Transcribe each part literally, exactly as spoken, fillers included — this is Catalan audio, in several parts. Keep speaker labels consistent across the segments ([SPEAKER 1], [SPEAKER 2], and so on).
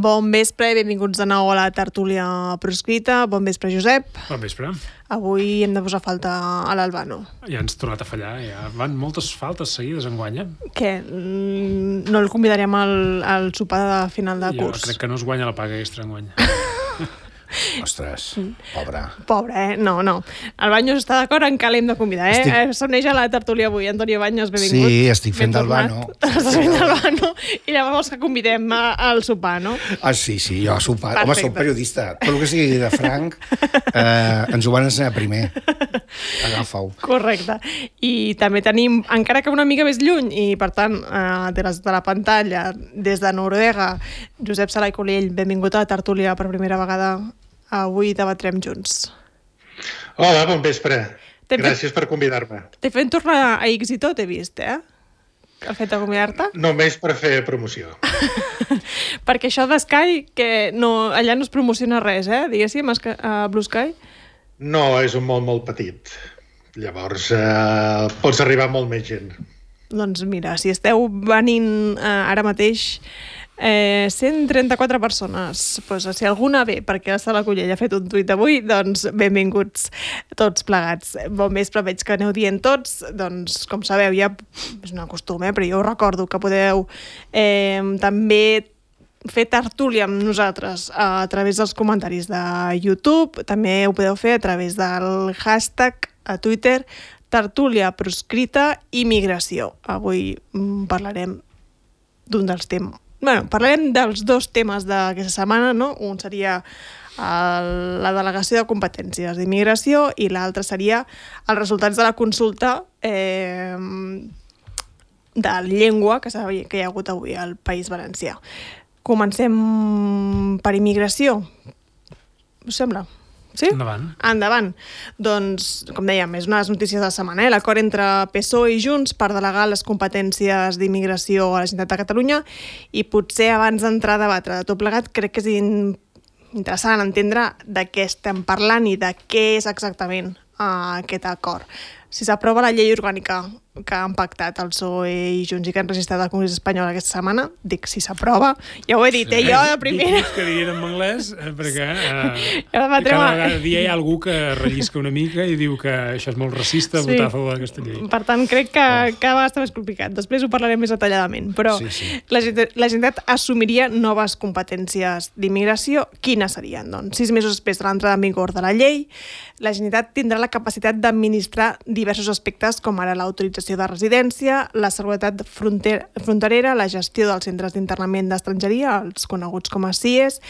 [SPEAKER 1] Bon vespre i benvinguts de nou a la tertúlia proscrita. Bon vespre, Josep.
[SPEAKER 2] Bon vespre.
[SPEAKER 1] Avui hem de posar falta a l'Albano.
[SPEAKER 2] Ja ens ha tornat a fallar, ja van moltes faltes seguides enguany, eh?
[SPEAKER 1] Què? No el convidaríem al, al sopar de final de
[SPEAKER 2] jo
[SPEAKER 1] curs?
[SPEAKER 2] Jo crec que no es guanya la paga extra enguany.
[SPEAKER 3] Ostres, pobre.
[SPEAKER 1] Pobre, eh? No, no. El Baños està d'acord en que l'hem de convidar, eh? Estic... S'uneix a la tertúlia avui. Antonio Baños, benvingut.
[SPEAKER 3] Sí, estic fent del Bano.
[SPEAKER 1] Estàs fent del Bano i llavors vols que convidem a, al sopar, no?
[SPEAKER 3] Ah, sí, sí, jo a sopar. Perfecte. Home, soc periodista. Tot el que sigui de franc eh, ens ho van ensenyar primer. Agafa-ho.
[SPEAKER 1] Correcte. I també tenim, encara que una mica més lluny, i per tant, eh, des de la pantalla, des de Noruega, Josep Sala i Colell, benvingut a la tertúlia per primera vegada. Avui debatrem junts.
[SPEAKER 4] Hola, bon vespre. Gràcies
[SPEAKER 1] fet...
[SPEAKER 4] per convidar-me.
[SPEAKER 1] T'he fet tornar a Éxito, t'he vist, eh? El fet de convidar-te.
[SPEAKER 4] Només per fer promoció.
[SPEAKER 1] Perquè això de Sky, que no, allà no es promociona res, eh? Diguéssim, a Blue Sky.
[SPEAKER 4] No, és un món molt petit. Llavors, eh, pots arribar a molt més gent.
[SPEAKER 1] Doncs mira, si esteu venint eh, ara mateix... Eh, cent trenta-quatre persones, pues, si alguna ve perquè la Sala Collell ha fet un tuit avui, doncs benvinguts tots plegats. Bon vespre, veig que aneu dient tots, doncs com sabeu ja és un costum, eh? Però jo us recordo que podeu eh, també fer tertúlia amb nosaltres a través dels comentaris de YouTube, també ho podeu fer a través del hashtag a Twitter tertúlia proscrita i migració. Avui mm, parlarem d'un dels temes. Bueno, parlarem dels dos temes d'aquesta setmana, no? Un seria el, la delegació de competències d'immigració i l'altre seria els resultats de la consulta eh, de llengua que, que hi ha hagut avui al País Valencià. Comencem per immigració. Us sembla? Sí?
[SPEAKER 2] Endavant.
[SPEAKER 1] Endavant. Doncs, com dèiem, és una de les notícies de la setmana, eh? L'acord entre P S O E i Junts per delegar les competències d'immigració a la Generalitat de Catalunya, i potser abans d'entrar a debatre de tot plegat, crec que és in... interessant entendre de què estem parlant i de què és exactament uh, aquest acord. Si s'aprova la llei orgànica que han pactat el P S O E i Junts i que han registrat al Congrés Espanyol aquesta setmana, dic si s'aprova, ja ho he dit, sí, eh, jo de primera.
[SPEAKER 2] Dic que dirien en anglès, eh, perquè eh,
[SPEAKER 1] cada
[SPEAKER 2] vegada dia hi ha algú que rellisca una mica i diu que això és molt racista, sí, votar a favor d'aquesta llei.
[SPEAKER 1] Per tant, crec que oh. cada vegada està més complicat. Després ho parlarem més detalladament, però sí, sí. La, la Generalitat assumiria noves competències d'immigració. Quines serien? Doncs sis mesos després de l'entrada en vigor de la llei, la Generalitat tindrà la capacitat d'administrar diversos aspectes com ara l'autorització de residència, la seguretat fronter, fronterera, la gestió dels centres d'internament d'estrangeria, els coneguts com a C I E S,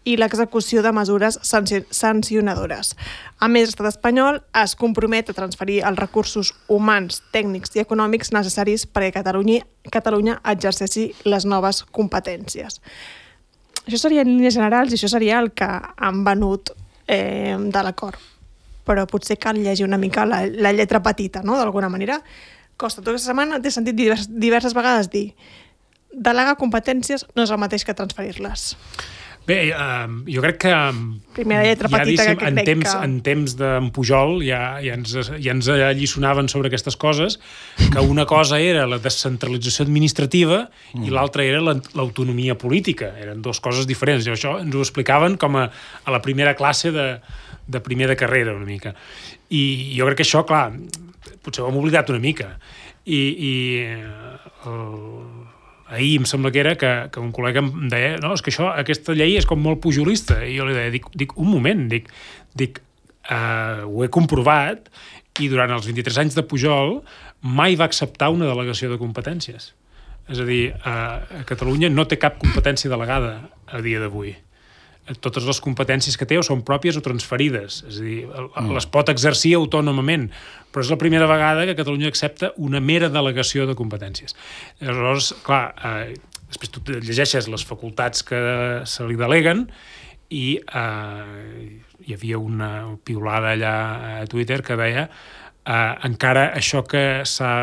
[SPEAKER 1] i l'execució de mesures sancionadores. A més, l'estat espanyol es compromet a transferir els recursos humans, tècnics i econòmics necessaris perquè Catalunya, Catalunya exerceixi les noves competències. Això seria en línies generals i això seria el que han venut eh, de l'acord. Però potser cal llegir una mica la, la lletra petita, no?, d'alguna manera. Costa, tota aquesta setmana t'he sentit divers, diverses vegades dir delegar competències no és el mateix que transferir-les.
[SPEAKER 2] Bé, eh, jo crec que
[SPEAKER 1] primera lletra
[SPEAKER 2] ja,
[SPEAKER 1] petita que
[SPEAKER 2] en
[SPEAKER 1] crec
[SPEAKER 2] temps,
[SPEAKER 1] que...
[SPEAKER 2] en temps d'en Pujol ja, ja, ens, ja ens alliçonaven sobre aquestes coses, que una cosa era la descentralització administrativa mm. i l'altra era l'autonomia política. Eren dues coses diferents. I això ens ho explicaven com a, a la primera classe de, de primer de carrera, una mica. I jo crec que això, clar, potser ho hem oblidat una mica. I, i el... ahir em sembla que era que, que un col·lega em deia no, és que això, aquesta llei és com molt pujolista, i jo li deia, dic, dic un moment, dic, dic uh, ho he comprovat, i durant els vint-i-tres anys de Pujol mai va acceptar una delegació de competències. És a dir, uh, Catalunya no té cap competència delegada a dia d'avui. Totes les competències que té o són pròpies o transferides, és a dir, les pot exercir autònomament, però és la primera vegada que Catalunya accepta una mera delegació de competències. Llavors, clar, eh, després tu llegeixes les facultats que se li deleguen i eh, hi havia una piulada allà a Twitter que deia eh, encara això que s'ha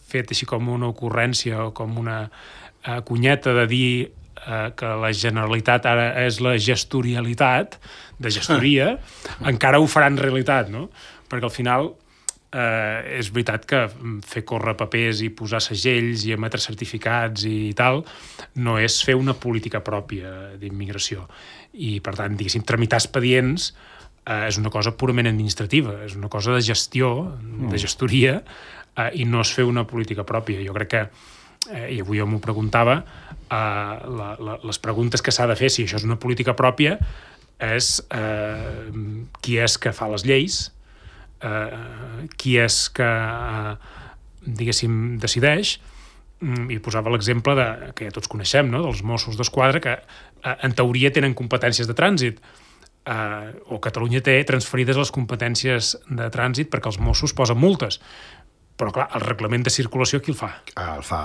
[SPEAKER 2] fet així com una ocurrència o com una eh, cunyeta de dir eh, que la Generalitat ara és la gestorialitat, de gestoria, encara ho faran realitat, no? Perquè al final eh, és veritat que fer córrer papers i posar segells i emetre certificats i tal no és fer una política pròpia d'immigració. I, per tant, diguéssim, tramitar expedients eh, és una cosa purament administrativa, és una cosa de gestió, de gestoria, eh, i no és fer una política pròpia. Jo crec que, eh, i avui jo m'ho preguntava, eh, la, la, les preguntes que s'ha de fer, si això és una política pròpia, és eh, qui és que fa les lleis, eh, qui és que, eh, diguéssim, decideix, i posava l'exemple de, que ja tots coneixem, no?, dels Mossos d'Esquadra, que eh, en teoria tenen competències de trànsit, eh, o Catalunya té transferides les competències de trànsit perquè els Mossos posen multes. Però, clar, el reglament de circulació qui el fa?
[SPEAKER 3] El fa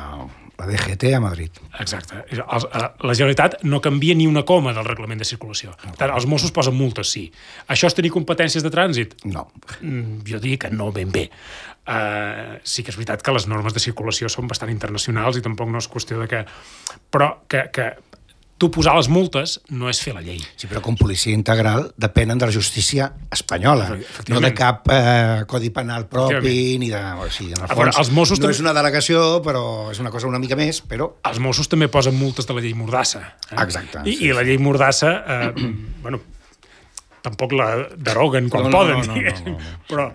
[SPEAKER 3] la D G T a Madrid.
[SPEAKER 2] Exacte. La Generalitat no canvia ni una coma del reglament de circulació. Per tant, els Mossos posen multes, sí. Això és tenir competències de trànsit?
[SPEAKER 3] No.
[SPEAKER 2] Jo diria que no ben bé. Uh, sí que és veritat que les normes de circulació són bastant internacionals i tampoc no és qüestió de que... Però que, que tu posar les multes no és fer la llei.
[SPEAKER 3] Sí, però com policia integral depenen de la justícia espanyola, no de cap eh, codi penal propi, ni de... O sigui, en el fons,
[SPEAKER 2] veure, els Mossos
[SPEAKER 3] no
[SPEAKER 2] també...
[SPEAKER 3] és una delegació, però és una cosa una mica més, però...
[SPEAKER 2] Els Mossos també posen multes de la llei Mordassa. Eh?
[SPEAKER 3] Exacte.
[SPEAKER 2] I,
[SPEAKER 3] sí,
[SPEAKER 2] i la llei Mordassa, eh, bueno, tampoc la deroguen quan
[SPEAKER 3] no, no,
[SPEAKER 2] poden,
[SPEAKER 3] no, no, no, no, no.
[SPEAKER 2] però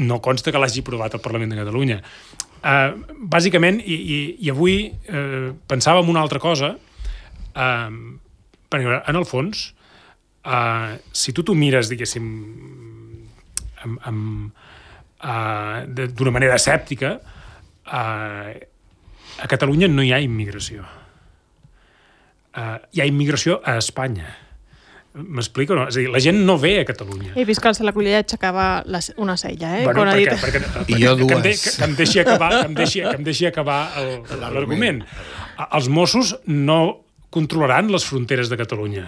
[SPEAKER 2] no consta que l'hagi aprovat el Parlament de Catalunya. Uh, bàsicament, i, i, i avui uh, pensava en una altra cosa, uh, perquè en el fons, uh, si tu t'ho mires, diguéssim, amb, amb, uh, d'una manera escèptica, uh, a Catalunya no hi ha immigració. Uh, hi ha immigració a Espanya. M'explico, no? És a dir, la gent no ve a Catalunya.
[SPEAKER 1] He vist que el Salacullella aixecava la, una cella, eh?
[SPEAKER 2] Bueno,
[SPEAKER 1] Quan
[SPEAKER 2] perquè,
[SPEAKER 1] ha dit...
[SPEAKER 2] perquè, perquè,
[SPEAKER 3] I jo
[SPEAKER 2] que, em de,
[SPEAKER 3] dues.
[SPEAKER 2] que, que em deixi acabar, que em deixi, que em deixi acabar l'argument. Els Mossos no controlaran les fronteres de Catalunya.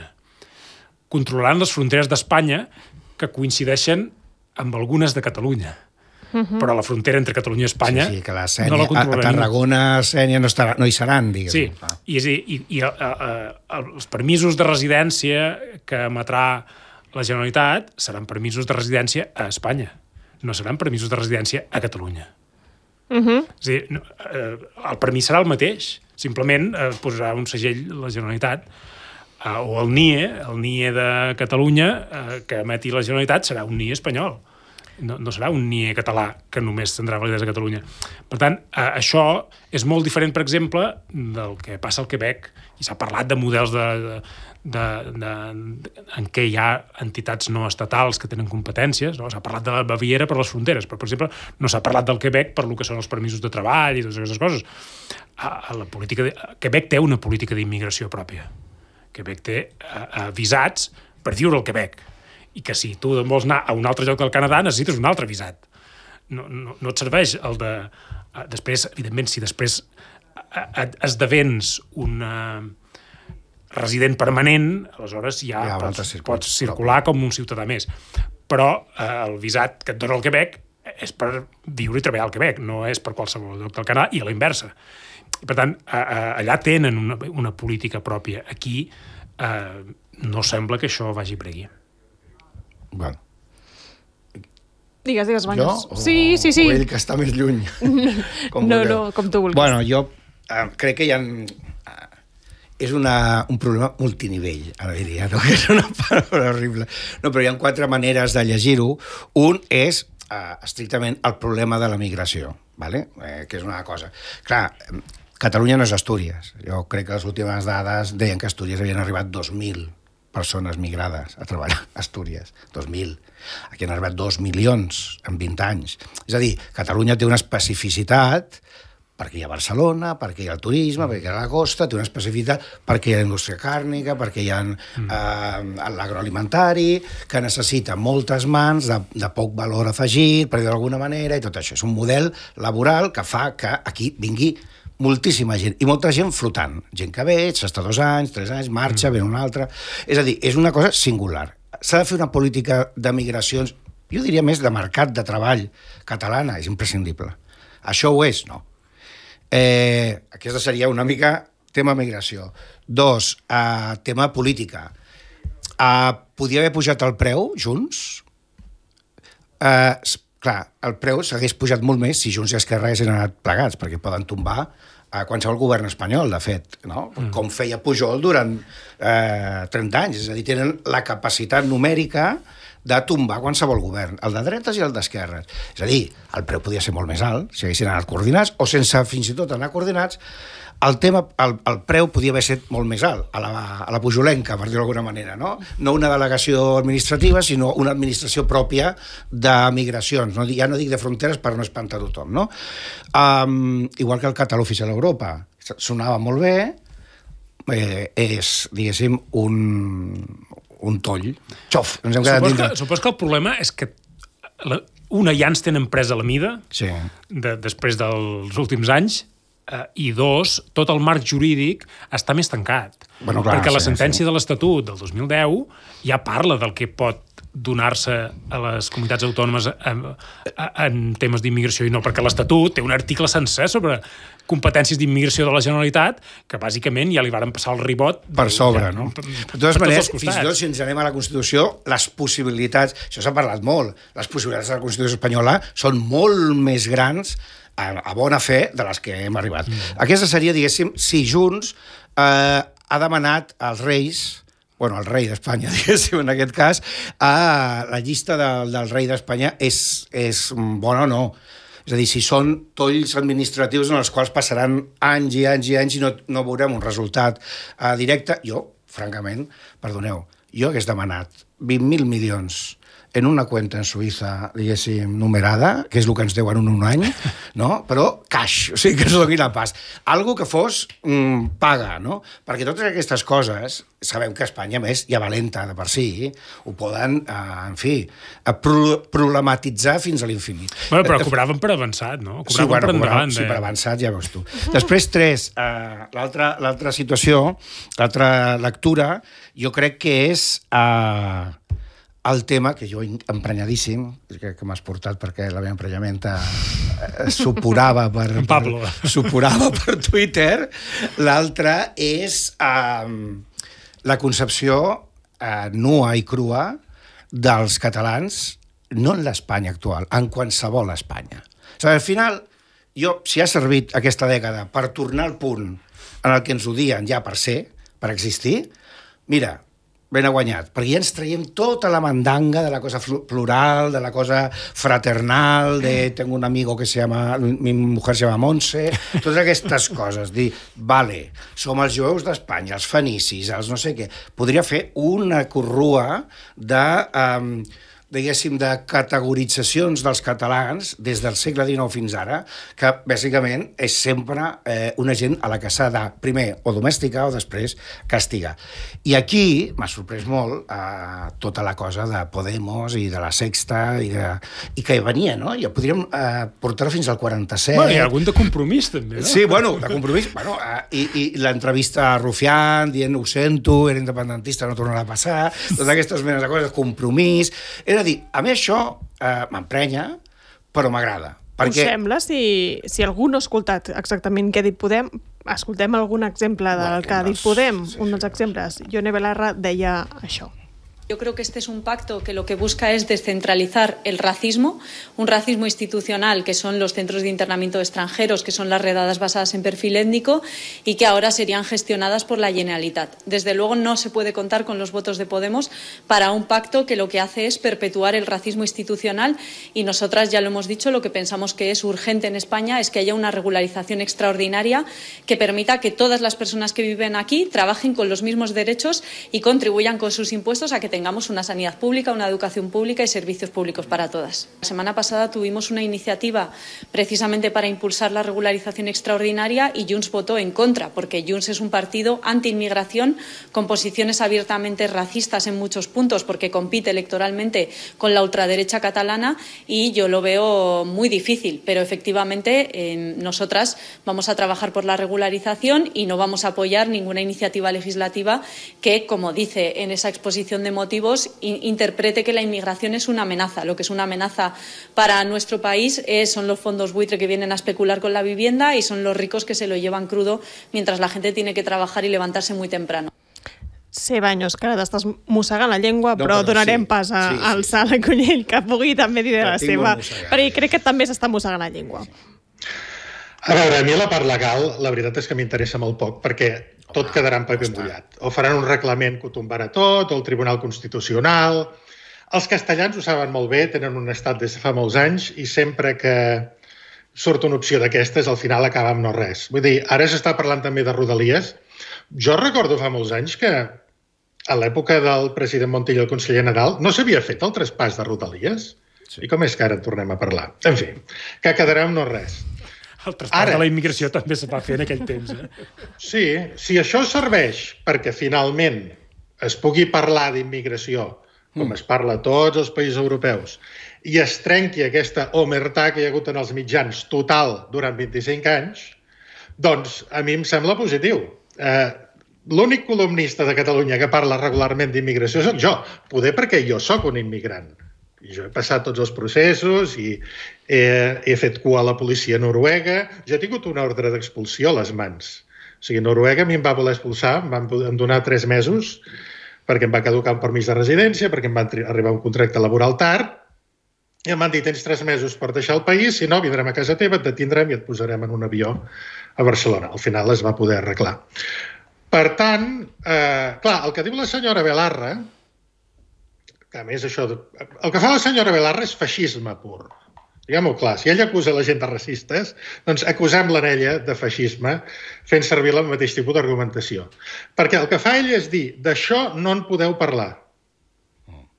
[SPEAKER 2] Controlaran les fronteres d'Espanya que coincideixen amb algunes de Catalunya. Uh-huh. Però la frontera entre Catalunya i Espanya
[SPEAKER 3] sí, sí, que la Sènia,
[SPEAKER 2] no la controlarà
[SPEAKER 3] a Tarragona, Sènia no, estarà, no hi seran, diguéssim.
[SPEAKER 2] Sí, ah. i, és, i, i a, a, a, els permisos de residència que emetrà la Generalitat seran permisos de residència a Espanya, no seran permisos de residència a Catalunya.
[SPEAKER 1] Uh-huh.
[SPEAKER 2] És a dir, no, eh, el permís serà el mateix, simplement eh, posarà un segell la Generalitat, eh, o el N I E, el N I E de Catalunya, eh, que emeti la Generalitat, serà un N I E espanyol. No, no serà un N I E català que només tindrà validesa a Catalunya. Per tant, eh, això és molt diferent, per exemple, del que passa al Quebec, i s'ha parlat de models de, de, de, de, de, en què hi ha entitats no estatals que tenen competències, no? S'ha parlat de la Baviera per les fronteres, però, per exemple, no s'ha parlat del Quebec per lo que són els permisos de treball i totes aquestes coses. A, a la política de, a Quebec té una política d'immigració pròpia. Quebec té a, a visats per viure al Quebec, i que si tu vols anar a un altre lloc del Canadà necessites un altre visat. No, no, no et serveix el de... Després, evidentment, si després esdevens un resident permanent, aleshores ja, ja pots, pots circular com un ciutadà més. Però eh, el visat que et dona el Quebec és per viure i treballar al Quebec, no és per qualsevol lloc del Canadà, i a la inversa. I, per tant, a, a, allà tenen una, una política pròpia. Aquí eh, no sembla que això vagi per aquí.
[SPEAKER 3] Bueno.
[SPEAKER 1] Digues, digues, Banyes.
[SPEAKER 3] Jo? O,
[SPEAKER 1] sí, sí, sí.
[SPEAKER 3] O ell que està més lluny.
[SPEAKER 1] Com no, vulgueu. No, com tu vulguis.
[SPEAKER 3] Bueno, jo eh, crec que hi ha... Eh, és una, un problema multinivell, ara diria, no? Que és una paraula horrible. No, però hi ha quatre maneres de llegir-ho. Un és eh, estrictament el problema de la migració, ¿vale? eh, que és una cosa. Clar, Catalunya no és Astúries. Jo crec que les últimes dades deien que a Astúries havien arribat dos mil persones migrades a treballar a Astúries, dos mil. Aquí han arribat dos milions en vint anys. És a dir, Catalunya té una especificitat perquè hi ha Barcelona, perquè hi ha el turisme, perquè hi ha la costa, té una especificitat perquè hi ha la indústria càrnica, perquè hi ha mm. eh, l'agroalimentari, que necessita moltes mans de, de poc valor afegit, per dir d'alguna manera, i tot això. És un model laboral que fa que aquí vingui moltíssima gent, i molta gent flotant. Gent que ve, s'està dos anys, tres anys, marxa, mm. ve una altra... És a dir, és una cosa singular. S'ha de fer una política de migracions jo diria més de mercat de treball catalana, és imprescindible. Això ho és? No. Eh, aquesta seria una mica tema migració. Dos, eh, tema política. Eh, podia haver pujat el preu, Junts? Eh, clar, el preu s'hagués pujat molt més si Junts i Esquerra haguessin anat plegats, perquè poden tombar a qualsevol govern espanyol, de fet, no? Mm. Com feia Pujol durant eh, trenta anys. És a dir, tenen la capacitat numèrica de tombar qualsevol govern, el de dretes i el d'esquerres. És a dir, el preu podia ser molt més alt, si haguessin anat coordinats, o sense fins i tot anar coordinats, el, tema, el, el preu podia haver estat molt més alt, a la, a la pujolenca, per dir-ho d'alguna manera, no? No una delegació administrativa, sinó una administració pròpia de migracions. No? Ja no dic de fronteres per no espantar tothom, no? Um, igual que el català oficial a Europa. Sonava molt bé, eh, és, diguéssim, un, un toll. Xof! Ens hem quedat
[SPEAKER 2] supos,
[SPEAKER 3] dintre.
[SPEAKER 2] que, supos que el problema és que la, una ja ens tenen presa la mida,
[SPEAKER 3] sí.
[SPEAKER 2] de, després dels últims anys, Uh, i dos, tot el marc jurídic està més tancat.
[SPEAKER 3] Bueno, clar,
[SPEAKER 2] perquè la
[SPEAKER 3] sí,
[SPEAKER 2] sentència
[SPEAKER 3] sí.
[SPEAKER 2] de l'Estatut del dos mil deu ja parla del que pot donar-se a les comunitats autònomes en, en temes d'immigració i no, perquè l'Estatut té un article sencer sobre competències d'immigració de la Generalitat que bàsicament ja li varen passar el ribot
[SPEAKER 3] per sobre,
[SPEAKER 2] ja,
[SPEAKER 3] no?
[SPEAKER 2] Per,
[SPEAKER 3] de totes
[SPEAKER 2] per
[SPEAKER 3] maneres, fins i tot si ens anem a la Constitució, les possibilitats, això s'ha parlat molt, les possibilitats de la Constitució espanyola són molt més grans a, a bona fe de les que hem arribat. Mm. Aquesta seria, diguéssim, si Junts eh, ha demanat als reis, bueno, el rei d'Espanya, diguéssim, en aquest cas, a la llista de, del rei d'Espanya és, és bona o no. És a dir, si són tolls administratius en els quals passaran anys i anys i anys i no, no veurem un resultat uh, directe, jo, francament, perdoneu, jo hagués demanat vint mil milions en una cuenta en Suïssa, diguéssim, numerada, que és el que ens deuen en un any, no? Però cash, o sigui, que ens donin a pas. Algo que fos mm, paga, no? Perquè totes aquestes coses, sabem que Espanya, més, ja valenta de per si, ho poden, eh, en fi, pro problematitzar fins a l'infinit.
[SPEAKER 2] Bueno, però cobraven per avançat, no? Cobraven
[SPEAKER 3] sí, bueno,
[SPEAKER 2] per endavant.
[SPEAKER 3] Cobraven, sí, per avançat, ja veus tu. Després, tres, eh, l'altra situació, l'altra lectura, jo crec que és... Eh, el tema, que jo emprenyadíssim, que, que m'has portat perquè la meva emprenyamenta eh, suporava per,
[SPEAKER 2] en Pablo.
[SPEAKER 3] per, suporava per Twitter. L'altre és eh, la concepció eh, nua i crua dels catalans, no en l'Espanya actual, en qualsevol Espanya. O sigui, al final, jo, si ha servit aquesta dècada per tornar al punt en el que ens odien ja per ser, per existir, mira, ben guanyat, perquè ja ens traiem tota la mandanga de la cosa plural, de la cosa fraternal, de tengo un amigo que se llama, mi mujer se llama Montse, totes aquestes coses, dir, vale, som els jueus d'Espanya, els fenicis, els no sé què, podria fer una corrua de... Um, diguéssim, de categoritzacions dels catalans des del segle dinou fins ara, que bàsicament és sempre eh, una gent a la que s'ha de, primer, o domesticar o després castigar. I aquí m'ha sorprès molt eh, tota la cosa de Podemos i de la Sexta i, de, i que venia, no? Ja podríem eh, portar fins al quaranta-set.
[SPEAKER 2] Bueno, hi ha algun de compromís, també, no?
[SPEAKER 3] Sí, bueno, de compromís. Bueno, eh, i, i l'entrevista a Rufián dient ho sento, era independentista, no tornarà a passar, totes aquestes menes de coses, compromís... És a dir, a mi això eh, m'emprenya, però m'agrada. Perquè...
[SPEAKER 1] Us sembla, si, si algú no ha escoltat exactament què ha dit Podem, escoltem algun exemple del
[SPEAKER 3] bueno,
[SPEAKER 1] que ha dit
[SPEAKER 3] no,
[SPEAKER 1] Podem?
[SPEAKER 3] sí.
[SPEAKER 1] Un dels exemples. Ione Belarra deia això.
[SPEAKER 5] Yo creo que este es un pacto que lo que busca es descentralizar el racismo, un racismo institucional que son los centros de internamiento de extranjeros, que son las redadas basadas en perfil étnico y que ahora serían gestionadas por la Generalitat. Desde luego no se puede contar con los votos de Podemos para un pacto que lo que hace es perpetuar el racismo institucional y nosotras ya lo hemos dicho, lo que pensamos que es urgente en España es que haya una regularización extraordinaria que permita que todas las personas que viven aquí trabajen con los mismos derechos y contribuyan con sus impuestos a que tengamos una sanidad pública, una educación pública y servicios públicos para todas. La semana pasada tuvimos una iniciativa precisamente para impulsar la regularización extraordinaria y Junts votó en contra, porque Junts es un partido anti-inmigración con posiciones abiertamente racistas en muchos puntos, porque compite electoralmente con la ultraderecha catalana y yo lo veo muy difícil, pero efectivamente eh, nosotras vamos a trabajar por la regularización y no vamos a apoyar ninguna iniciativa legislativa que, como dice en esa exposición de motivos, motivos interprete que la inmigración es una amenaza. Lo que es una amenaza para nuestro país es, son los fondos buitre que vienen a especular con la vivienda y son los ricos que se lo llevan crudo mientras la gente tiene que trabajar y levantarse muy temprano.
[SPEAKER 1] Sí, Baños, que ara t'estàs mossegant la llengua, no, però, però donarem sí, pas a, sí, sí, al Sala Cunyell, que pugui també dir de la seva, perquè crec que també s'està mossegant la llengua.
[SPEAKER 4] A veure, a mi la part legal, la veritat és que m'interessa molt poc, perquè tot quedarà en paper mullat. O faran un reglament que ho tombarà tot, o el Tribunal Constitucional. Els castellans ho saben molt bé, tenen un estat des de fa molts anys, i sempre que surt una opció d'aquestes, al final acaba amb no res. Vull dir, ara s'està parlant també de Rodalies. Jo recordo fa molts anys que a l'època del president Montilla i el conseller Nadal no s'havia fet el traspàs de Rodalies. Sí. I com és que ara en tornem a parlar? En fi, que quedarà amb no res.
[SPEAKER 2] El traspàs ara, de la immigració també se va fer en aquell temps. Eh?
[SPEAKER 4] Sí, si això serveix perquè finalment es pugui parlar d'immigració, com mm. es parla a tots els països europeus, i es trenqui aquesta omertà que hi ha hagut en els mitjans total durant vint-i-cinc anys, doncs a mi em sembla positiu. Eh, L'únic columnista de Catalunya que parla regularment d'immigració soc jo, poder perquè jo sóc un immigrant. I jo he passat tots els processos i he, he fet cua a la policia noruega. Jo he tingut una ordre d'expulsió a les mans. O sigui, Noruega a mi em va voler expulsar, em van donar tres mesos perquè em va caducar un permís de residència, perquè em va arribar un contracte laboral tard, i em van dir, tens tres mesos per deixar el país, si no, vindrem a casa teva, et detindrem i et posarem en un avió a Barcelona. Al final es va poder arreglar. Per tant, eh, clar, el que diu la senyora Belarra, que a més això... El que fa la senyora Belarra és feixisme pur. Diguem-ho clar, si ella acusa la gent de racistes, doncs acusem-la en ella de feixisme fent servir el mateix tipus d'argumentació. Perquè el que fa ella és dir, d'això no en podeu parlar.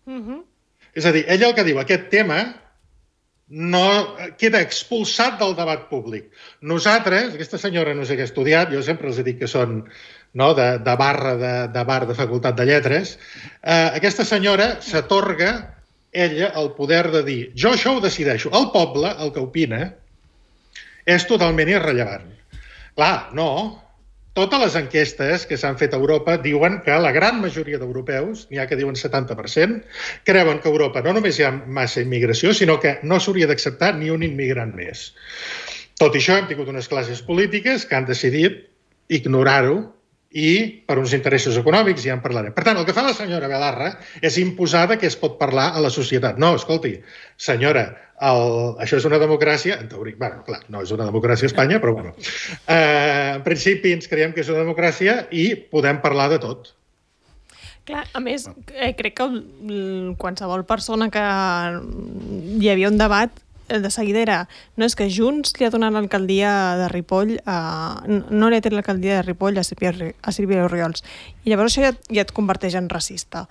[SPEAKER 4] Mm-hmm. És a dir, ella el que diu, aquest tema no queda expulsat del debat públic. Nosaltres, aquesta senyora no sé què ha estudiat, jo sempre els he dit que són no, de, de barra de, de bar de Facultat de Lletres, eh, aquesta senyora s'atorga ella el poder de dir jo això ho decideixo. El poble, el que opina, és totalment irrellevant. Clar, no. Totes les enquestes que s'han fet a Europa diuen que la gran majoria d'europeus, n'hi ha que diuen setanta per cent, creuen que a Europa no només hi ha massa immigració, sinó que no s'hauria d'acceptar ni un immigrant més. Tot i això, hem tingut unes classes polítiques que han decidit ignorar-ho i per uns interessos econòmics ja en parlarem. Per tant, el que fa la senyora Belarra és imposar que es pot parlar a la societat. No, escolti, senyora, el, això és una democràcia, en teoria, bueno, clar, no és una democràcia a Espanya, però bueno, eh, en principi ens creiem que és una democràcia i podem parlar de tot.
[SPEAKER 1] Clar, a més, eh, crec que qualsevol persona que hi havia un debat de seguida era, no és que Junts li ha donat l'alcaldia de Ripoll a, no li ha tret l'alcaldia de Ripoll a Sílvia, a Sílvia Orriols, i llavors això ja, ja et converteix en racista.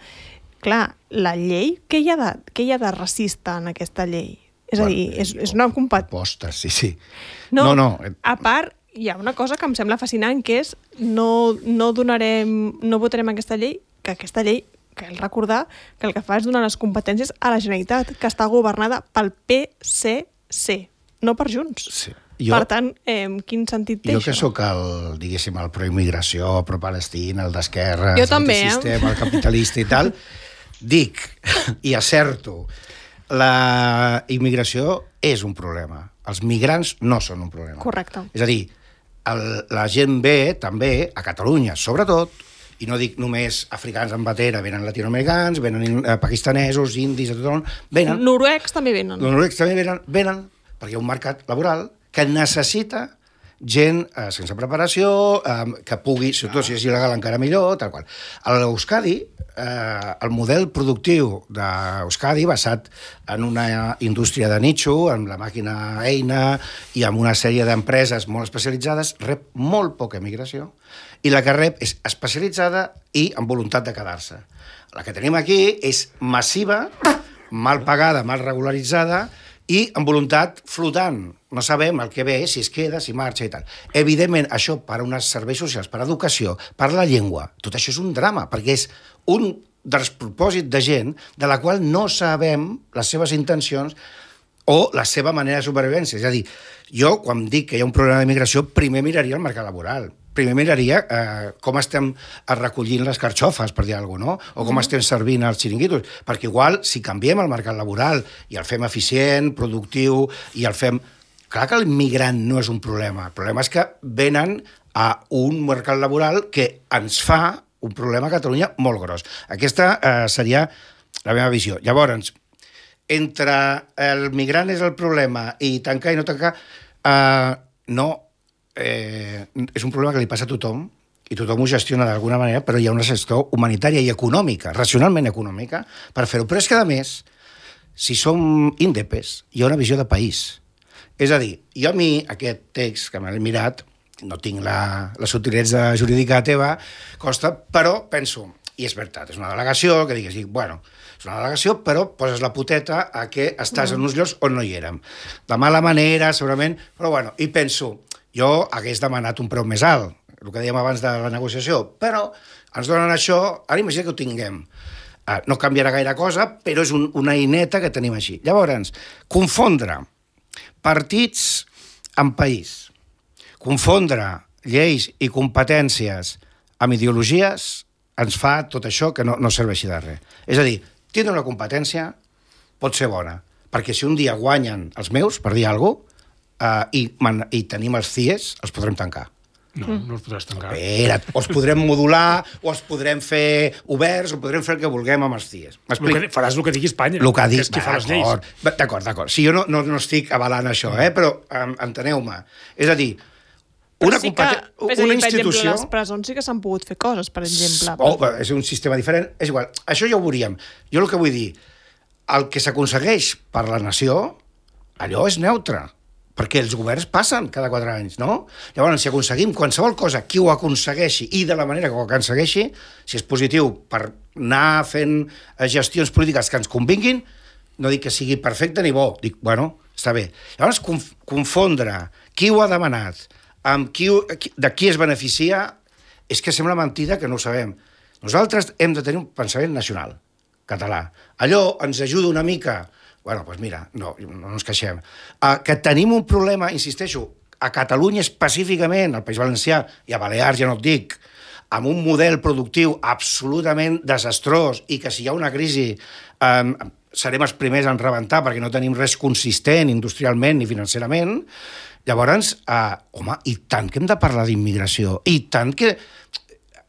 [SPEAKER 1] Clar, la llei, què hi ha de, què hi ha de racista en aquesta llei? És bueno, a dir, és, és una compat...
[SPEAKER 3] Postes, sí, sí.
[SPEAKER 1] No, no, no. A part, hi ha una cosa que em sembla fascinant, que és no, no donarem, no votarem aquesta llei, que aquesta llei cal recordar que el que fa és donar les competències a la Generalitat, que està governada pel P C C, no per Junts. Sí. Jo, per tant, eh, quin sentit té
[SPEAKER 3] jo
[SPEAKER 1] això?
[SPEAKER 3] Jo que sóc el, diguéssim, el pro-immigració, pro-Palestina, el d'esquerra,
[SPEAKER 1] el
[SPEAKER 3] antisistema, eh? el capitalista i tal, dic, i acerto, la immigració és un problema. Els migrants no són un problema.
[SPEAKER 1] Correcte.
[SPEAKER 3] És a dir, el, la gent ve també, a Catalunya, sobretot, i no dic només africans en batera, venen latinoamericans, venen eh, pakistanesos, indis, a tothom, venen...
[SPEAKER 1] Noruecs també venen.
[SPEAKER 3] Noruecs també venen, venen perquè hi ha un mercat laboral que necessita gent eh, sense preparació, eh, que pugui, sobretot si és il·legal encara millor, tal qual. A l'Euskadi, eh, el model productiu d'Euskadi, basat en una indústria de nicho, amb la màquina eina i amb una sèrie d'empreses molt especialitzades, rep molt poca migració, i la que rep és especialitzada i amb voluntat de quedar-se. La que tenim aquí és massiva, mal pagada, mal regularitzada i amb voluntat flotant. No sabem el que ve, si es queda, si marxa i tal. Evidentment, això per a uns serveis socials, per a educació, per a la llengua, tot això és un drama, perquè és un despropòsit de gent de la qual no sabem les seves intencions o la seva manera de supervivència. És a dir, jo, quan dic que hi ha un problema d'immigració, primer miraria el mercat laboral. primer miraria eh, com estem recollint les carxofes, per dir alguna cosa, no? O com mm. estem servint els xiringuitos. Perquè igual, si canviem el mercat laboral i el fem eficient, productiu, i el fem... Clar que l'immigrant no és un problema. El problema és que venen a un mercat laboral que ens fa un problema a Catalunya molt gros. Aquesta eh, seria la meva visió. Llavors, entre el migrant és el problema i tancar i no tancar, eh, no... Eh, és un problema que li passa a tothom i tothom ho gestiona d'alguna manera, però hi ha una gestió humanitària i econòmica, racionalment econòmica, per fer-ho. Però és que, a més, si som índepes, hi ha una visió de país. És a dir, jo a mi, aquest text que m'he mirat, no tinc la, la sutilesa jurídica teva, costa, però penso, i és veritat, és una delegació, que digues, bueno, és una delegació, però poses la puteta a que estàs mm. en uns llocs on no hi érem. De mala manera, segurament, però bueno, i penso, jo hagués demanat un preu més alt, el que dèiem abans de la negociació, però ens donen això, ara imagina que ho tinguem. Uh, no canviarà gaire cosa, però és un, una eina que tenim així. Llavors, confondre partits amb país, confondre lleis i competències amb ideologies, ens fa tot això que no, no serveixi de res. És a dir, tindre una competència pot ser bona, perquè si un dia guanyen els meus, per dir alguna cosa, Uh, i, man, i tenim els C I E S, els podrem tancar.
[SPEAKER 2] No, mm. no els podràs tancar.
[SPEAKER 3] Espera, o els podrem modular, o els podrem fer oberts, o podrem fer el que vulguem amb els C I E S.
[SPEAKER 2] El que, faràs el que digui Espanya,
[SPEAKER 3] el que,
[SPEAKER 2] que
[SPEAKER 3] dic,
[SPEAKER 2] és qui fa les lleis.
[SPEAKER 3] D'acord, d'acord. Si jo no, no, no estic avalant això, eh? Però um, enteneu-me. És a dir, una,
[SPEAKER 1] sí que,
[SPEAKER 3] una
[SPEAKER 1] dir,
[SPEAKER 3] institució...
[SPEAKER 1] Per exemple, les presons sí que s'han pogut fer coses, per exemple.
[SPEAKER 3] Oh, és un sistema diferent. És igual. Això ja ho veuríem. Jo el que vull dir, el que s'aconsegueix per la nació, allò és neutre, perquè els governs passen cada quatre anys, no? Llavors, si aconseguim qualsevol cosa, qui ho aconsegueixi i de la manera que ho aconsegueixi, si és positiu per anar fent gestions polítiques que ens convinguin, no dic que sigui perfecte ni bo, dic, bueno, està bé. Llavors, conf confondre qui ho ha demanat, amb qui, ho, de qui es beneficia, és que sembla mentida que no ho sabem. Nosaltres hem de tenir un pensament nacional, català. Allò ens ajuda una mica... Bueno, doncs mira, no, no ens queixem. Uh, que tenim un problema, insisteixo, a Catalunya específicament, al País Valencià i a Balears, ja no et dic, amb un model productiu absolutament desastrós i que si hi ha una crisi um, serem els primers en rebentar perquè no tenim res consistent industrialment ni financerament, llavors, uh, home, i tant que hem de parlar d'immigració, i tant que...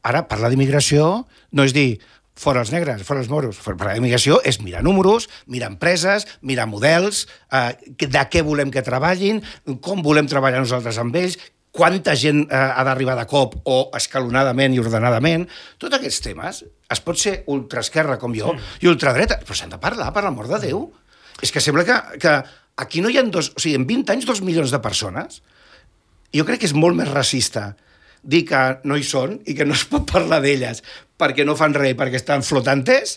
[SPEAKER 3] Ara, parlar d'immigració no és dir... fora els negres, fora els moros. Parlar d'immigració és mirar números, mirar empreses, mirar models, eh, de què volem que treballin, com volem treballar nosaltres amb ells, quanta gent eh, ha d'arribar de cop o escalonadament i ordenadament. Tots aquests temes es pot ser ultraesquerra com jo sí. i ultradreta, però s'han de parlar, per l'amor de Déu. És que sembla que, que aquí no hi ha dos... O sigui, en vint anys, dos milions de persones, jo crec que és molt més racista dir que no hi són i que no es pot parlar d'elles perquè no fan res, perquè estan flotantes,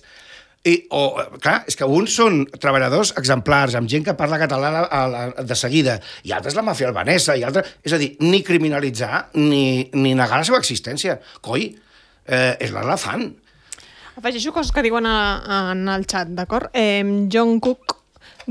[SPEAKER 3] i, o, clar, és que uns són treballadors exemplars, amb gent que parla català a la, de seguida, i altres la màfia albanesa, i altres... És a dir, ni criminalitzar, ni, ni negar la seva existència. Coi, eh, és l'elefant.
[SPEAKER 1] Afegeixo coses que diuen a, a, en el xat, d'acord? Eh, John Cook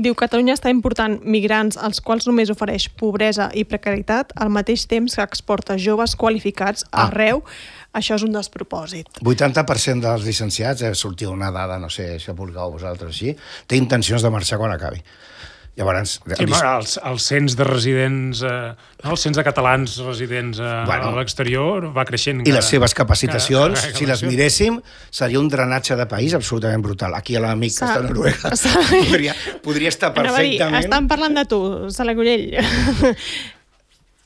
[SPEAKER 1] diu que Catalunya està important migrants als quals només ofereix pobresa i precarietat al mateix temps que exporta joves qualificats
[SPEAKER 3] ah.
[SPEAKER 1] arreu. Això és un despropòsit.
[SPEAKER 3] vuitanta per cent dels llicenciats, eh, sortia una dada, no sé si vulgueu vosaltres així, té intencions de marxar quan acabi. Llavors...
[SPEAKER 2] Sí, el, el, el cens de residents, eh, no, el cens de catalans residents eh, bueno, a l'exterior va creixent.
[SPEAKER 3] I cada, les seves capacitacions, cada, cada, cada si les miréssim, seria un drenatge de país absolutament brutal. Aquí a l'amic que està a Noruega podria, podria estar perfectament...
[SPEAKER 1] Dir, estan parlant de tu, Salagurell.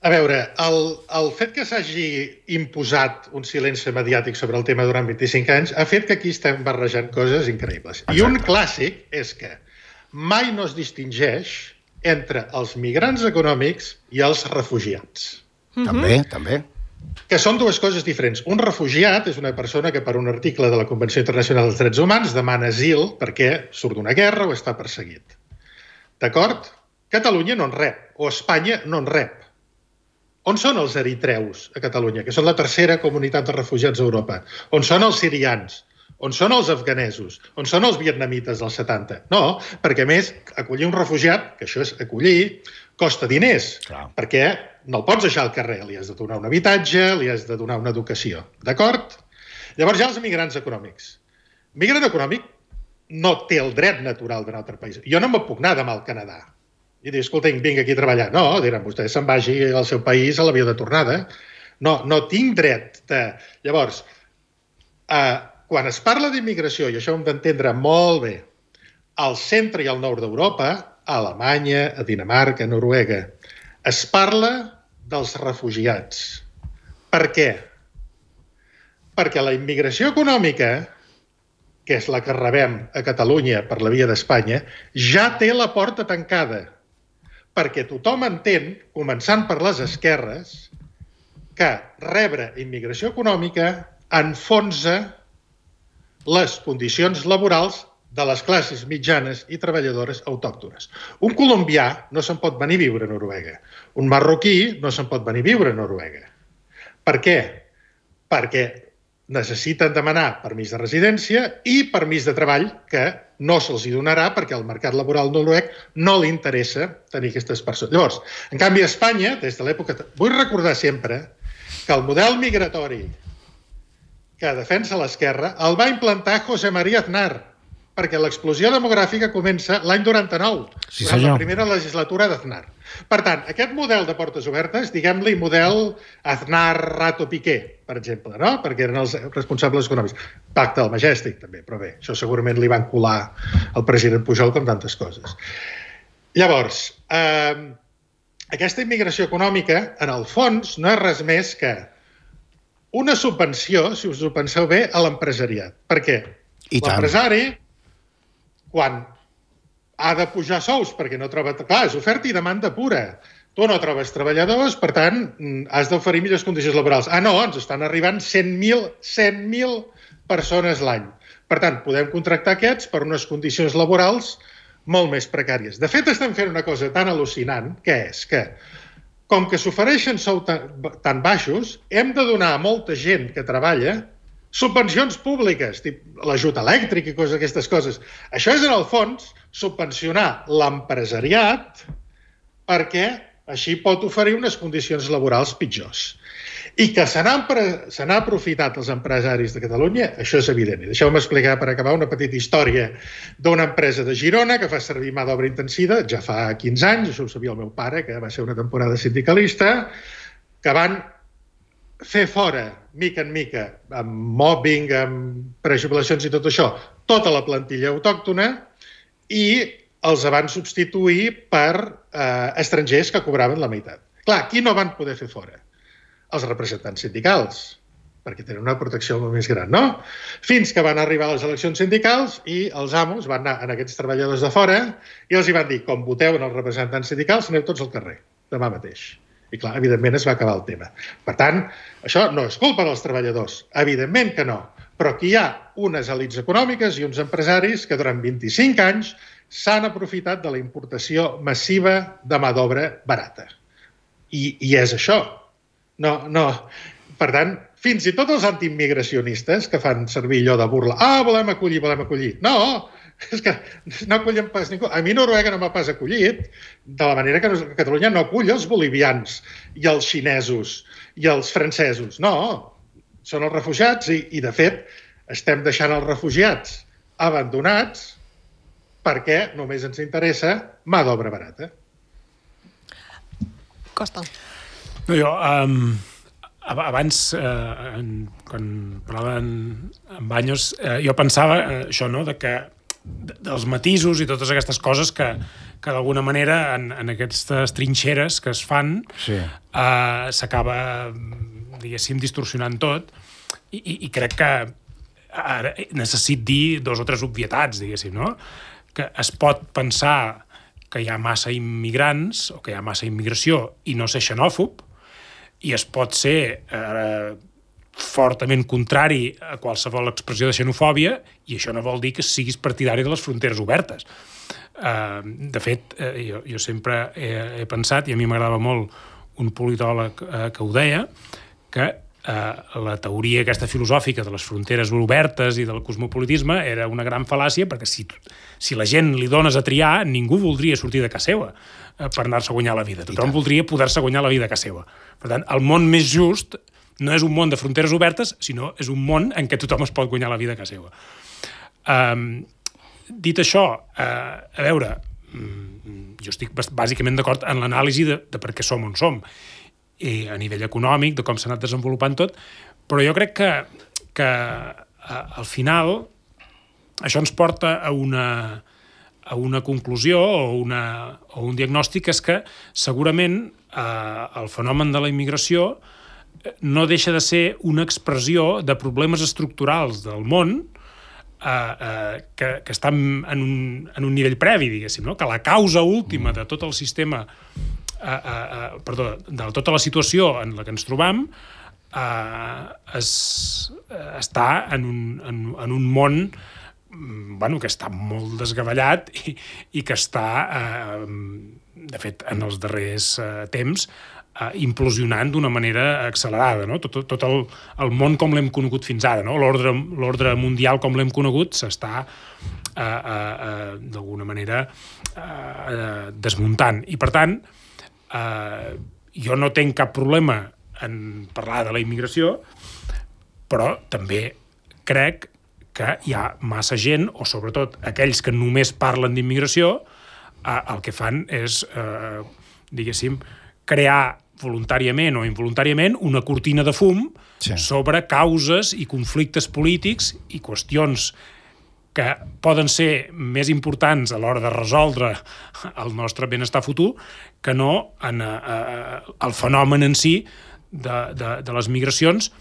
[SPEAKER 4] A veure, el, el fet que s'hagi imposat un silenci mediàtic sobre el tema durant vint-i-cinc anys ha fet que aquí estem barrejant coses increïbles. Exacte. I un clàssic és que mai no es distingeix entre els migrants econòmics i els refugiats.
[SPEAKER 3] Mm-hmm. També, també.
[SPEAKER 4] Que són dues coses diferents. Un refugiat és una persona que per un article de la Convenció Internacional dels Drets Humans demana asil perquè surt d'una guerra o està perseguit. D'acord? Catalunya no en rep, o Espanya no en rep. On són els eritreus a Catalunya, que són la tercera comunitat de refugiats a Europa? On són els sirians? On són els afganesos? On són els vietnamites dels setanta? No, perquè a més, acollir un refugiat, que això és acollir, costa diners, Clar. perquè no el pots deixar al carrer, li has de donar un habitatge, li has de donar una educació, d'acord? Llavors hi ha els migrants econòmics. Migrant econòmic no té el dret natural d'un altre país. Jo no me puc anar demà al Canadà i dir, escolta, vinc aquí a treballar. No, diran, vostè se'n vagi al seu país a l'avió de tornada. No, no tinc dret de... Llavors, eh, quan es parla d'immigració, i això ho hem d'entendre molt bé, al centre i al nord d'Europa, a Alemanya, a Dinamarca, a Noruega, es parla dels refugiats. Per què? Perquè la immigració econòmica, que és la que rebem a Catalunya per la via d'Espanya, ja té la porta tancada. Perquè tothom entén, començant per les esquerres, que rebre immigració econòmica enfonsa les condicions laborals de les classes mitjanes i treballadores autòctones. Un colombià no se'n pot venir a viure a Noruega. Un marroquí no se'n pot venir a viure a Noruega. Per què? Perquè necessiten demanar permís de residència i permís de treball, que no se'ls donarà perquè al mercat laboral noruec no li interessa tenir aquestes persones. Llavors, en canvi, a Espanya, des de l'època... Vull recordar sempre que el model migratori que defensa l'esquerra el va implantar José María Aznar, perquè l'explosió demogràfica comença l'any noranta-nou,
[SPEAKER 3] sí,
[SPEAKER 4] durant la primera legislatura d'Aznar. Per tant, aquest model de portes obertes, diguem-li model Aznar-Rato-Piqué, per exemple, no? Perquè eren els responsables econòmics. Pacte del Majestic, també, però bé, això segurament li van colar al president Pujol com tantes coses. Llavors, eh, aquesta immigració econòmica, en el fons, no és res més que una subvenció, si us ho penseu bé, a l'empresariat. Per què? L'empresari, quan ha de pujar sous perquè no troba... Clar, és oferta i demanda pura. Tu no trobes treballadors, per tant, has d'oferir millors condicions laborals. Ah, no, ens estan arribant cent mil persones l'any. Per tant, podem contractar aquests per unes condicions laborals molt més precàries. De fet, estem fent una cosa tan al·lucinant, que és que, com que s'ofereixen sous tan, tan baixos, hem de donar a molta gent que treballa subvencions públiques, l'ajut elèctric i coses d'aquestes coses. Això és, en el fons, subvencionar l'empresariat perquè així pot oferir unes condicions laborals pitjors. I que se n'ha aprofitat els empresaris de Catalunya, això és evident. I deixeu-me explicar, per acabar, una petita història d'una empresa de Girona que fa servir mà d'obra intensiva, ja fa quinze anys, això ho sabia el meu pare, que va ser una temporada sindicalista, que van fer fora, mica en mica, amb mobbing, amb prejubilacions i tot això, tota la plantilla autòctona i els van substituir per eh, estrangers que cobraven la meitat. Clar, qui no van poder fer fora? Els representants sindicals, perquè tenen una protecció molt més gran, no? Fins que van arribar a les eleccions sindicals i els amos van anar a aquests treballadors de fora i els hi van dir, com voteu en els representants sindicals, aneu tots al carrer, demà mateix. I clar, evidentment es va acabar el tema. Per tant, això no és culpa dels treballadors, evidentment que no, però aquí hi ha unes elits econòmiques i uns empresaris que durant vint-i-cinc anys s'han aprofitat de la importació massiva de mà d'obra barata. I, i és això. No, no. Per tant, fins i tot els antiimmigracionistes que fan servir allò de burla, ah, volem acollir, volem acollir. No, és que no acollen pas ningú. A mi Noruega no m'ha pas acollit, de la manera que Catalunya no acull els bolivians i els xinesos i els francesos. No, són els refugiats i, i de fet, estem deixant els refugiats abandonats perquè només ens interessa mà d'obra barata.
[SPEAKER 1] Costa.
[SPEAKER 2] No, jo, um, abans, eh, quan parlava en, en Baños, eh, jo pensava eh, això, no?, de que dels matisos i totes aquestes coses que, que d'alguna manera en, en aquestes trinxeres que es fan sí. eh, s'acaba, diguéssim, distorsionant tot i, i, i crec que ara necessit dir dos o tres obvietats, diguéssim, no? Que es pot pensar que hi ha massa immigrants o que hi ha massa immigració i no ser xenòfob i es pot ser eh, fortament contrari a qualsevol expressió de xenofòbia i això no vol dir que siguis partidari de les fronteres obertes. Uh, de fet, uh, jo, jo sempre he, he pensat, i a mi m'agradava molt un politòleg uh, que ho deia, que eh, la teoria aquesta filosòfica de les fronteres obertes i del cosmopolitisme era una gran fal·làcia, perquè si, si la gent li dones a triar, ningú voldria sortir de casa seva eh, per anar-se a guanyar la vida. Tothom voldria poder-se guanyar la vida a casa seva. Per tant, el món més just no és un món de fronteres obertes, sinó és un món en què tothom es pot guanyar la vida a casa seva. Um, dit això, uh, a veure, jo estic bàsicament d'acord en l'anàlisi de, de per què som on som, i a nivell econòmic, de com s'ha anat desenvolupant tot, però jo crec que, que uh, al final això ens porta a una, a una conclusió o, una, o un diagnòstic, és que segurament uh, el fenomen de la immigració no deixa de ser una expressió de problemes estructurals del món eh, eh, que, que estan en un, en un nivell previ, diguéssim, no? Que la causa última de tot el sistema, eh, eh, perdó, de tota la situació en la que ens trobam eh, es, eh, està en un, en, en un món bueno, que està molt desgavellat i, i que està, eh, de fet, en els darrers eh, temps, Uh, implosionant d'una manera accelerada, no? Tot, tot el, el món com l'hem conegut fins ara, no? L'ordre, l'ordre mundial com l'hem conegut s'està uh, uh, uh, d'alguna manera uh, uh, desmuntant. I per tant, uh, jo no tinc cap problema en parlar de la immigració, però també crec que hi ha massa gent, o sobretot aquells que només parlen d'immigració, uh, el que fan és, uh, diguéssim, crear voluntàriament o involuntàriament una cortina de fum sí. sobre causes i conflictes polítics i qüestions que poden ser més importants a l'hora de resoldre el nostre benestar futur que no en a, a, el fenomen en si de, de, de les migracions,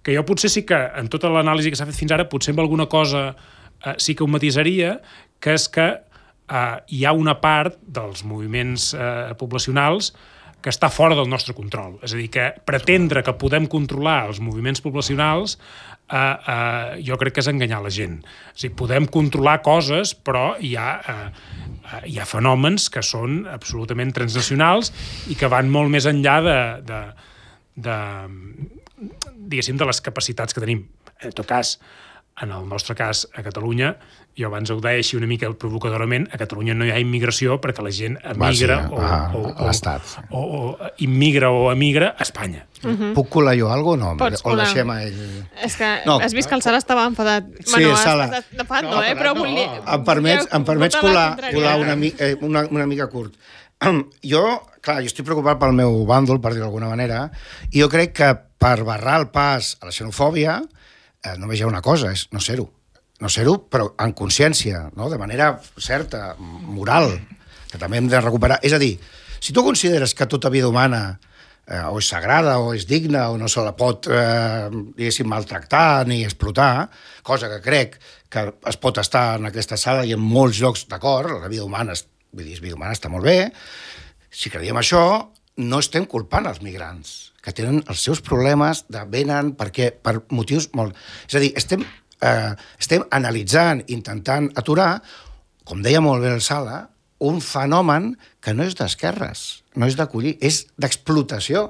[SPEAKER 2] que jo potser sí que en tota l'anàlisi que s'ha fet fins ara potser amb alguna cosa eh, sí que ho matisaria, que és que eh, hi ha una part dels moviments eh, poblacionals que està fora del nostre control. És a dir, que pretendre que podem controlar els moviments poblacionals eh, eh, jo crec que és enganyar la gent. És a dir, podem controlar coses, però hi ha, eh, hi ha fenòmens que són absolutament transnacionals i que van molt més enllà de, de, de, diguéssim, de les capacitats que tenim. En tot cas, en el nostre cas, a Catalunya, jo abans ho deia així una mica provocadorament, a Catalunya no hi ha immigració perquè la gent emigra
[SPEAKER 3] Va, sí,
[SPEAKER 2] o,
[SPEAKER 3] a,
[SPEAKER 2] o,
[SPEAKER 3] a l'estat.
[SPEAKER 2] O, o, o immigra o emigra a Espanya.
[SPEAKER 3] Uh-huh. Puc colar jo alguna cosa? No?
[SPEAKER 1] Pots
[SPEAKER 3] O
[SPEAKER 1] colar.
[SPEAKER 3] deixem a ell...
[SPEAKER 1] És que
[SPEAKER 3] No.
[SPEAKER 1] has vist que el Sala estava enfadat.
[SPEAKER 3] Sí,
[SPEAKER 1] bueno,
[SPEAKER 3] Sala.
[SPEAKER 1] has estat enfat,
[SPEAKER 4] No,
[SPEAKER 1] no, eh? Però
[SPEAKER 4] no.
[SPEAKER 1] volia...
[SPEAKER 3] Em permets, em permets
[SPEAKER 1] votar la
[SPEAKER 3] colar,
[SPEAKER 1] contrària.
[SPEAKER 3] colar una, mi- eh, una, una mica curt. Jo, clar, jo estic preocupat pel meu bàndol, per dir-ho d'alguna manera, i jo crec que per barrar el pas a la xenofòbia eh, només hi ha una cosa, és no ser-ho. No ser-ho, però en consciència, no? De manera certa, moral, que també hem de recuperar. És a dir, si tu consideres que tota vida humana eh, o és sagrada o és digna o no se la pot, eh, diguéssim, maltractar ni explotar, cosa que crec que es pot estar en aquesta sala i en molts llocs d'acord, la vida humana, vull dir, la vida humana està molt bé, si creiem això, no estem culpant els migrants, que tenen els seus problemes de venen perquè, per motius molt... És a dir, estem... Eh, estem analitzant, intentant aturar, com deia molt bé el Sala, un fenomen que no és d'esquerres, no és d'acollir, és d'explotació.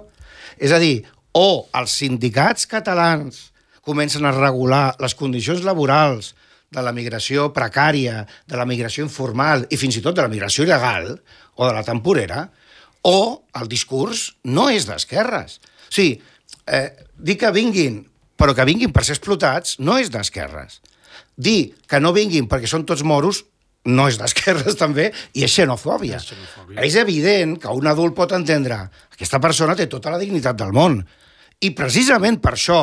[SPEAKER 3] És a dir, o els sindicats catalans comencen a regular les condicions laborals de la migració precària, de la migració informal i fins i tot de la migració il·legal o de la temporera, o el discurs no és d'esquerres. O sigui, eh, dir que vinguin però que vinguin per ser explotats no és d'esquerres. Dir que no vinguin perquè són tots moros no és d'esquerres també, i és xenofòbia. És, xenofòbia. És evident que un adult pot entendre que aquesta persona té tota la dignitat del món. I precisament per això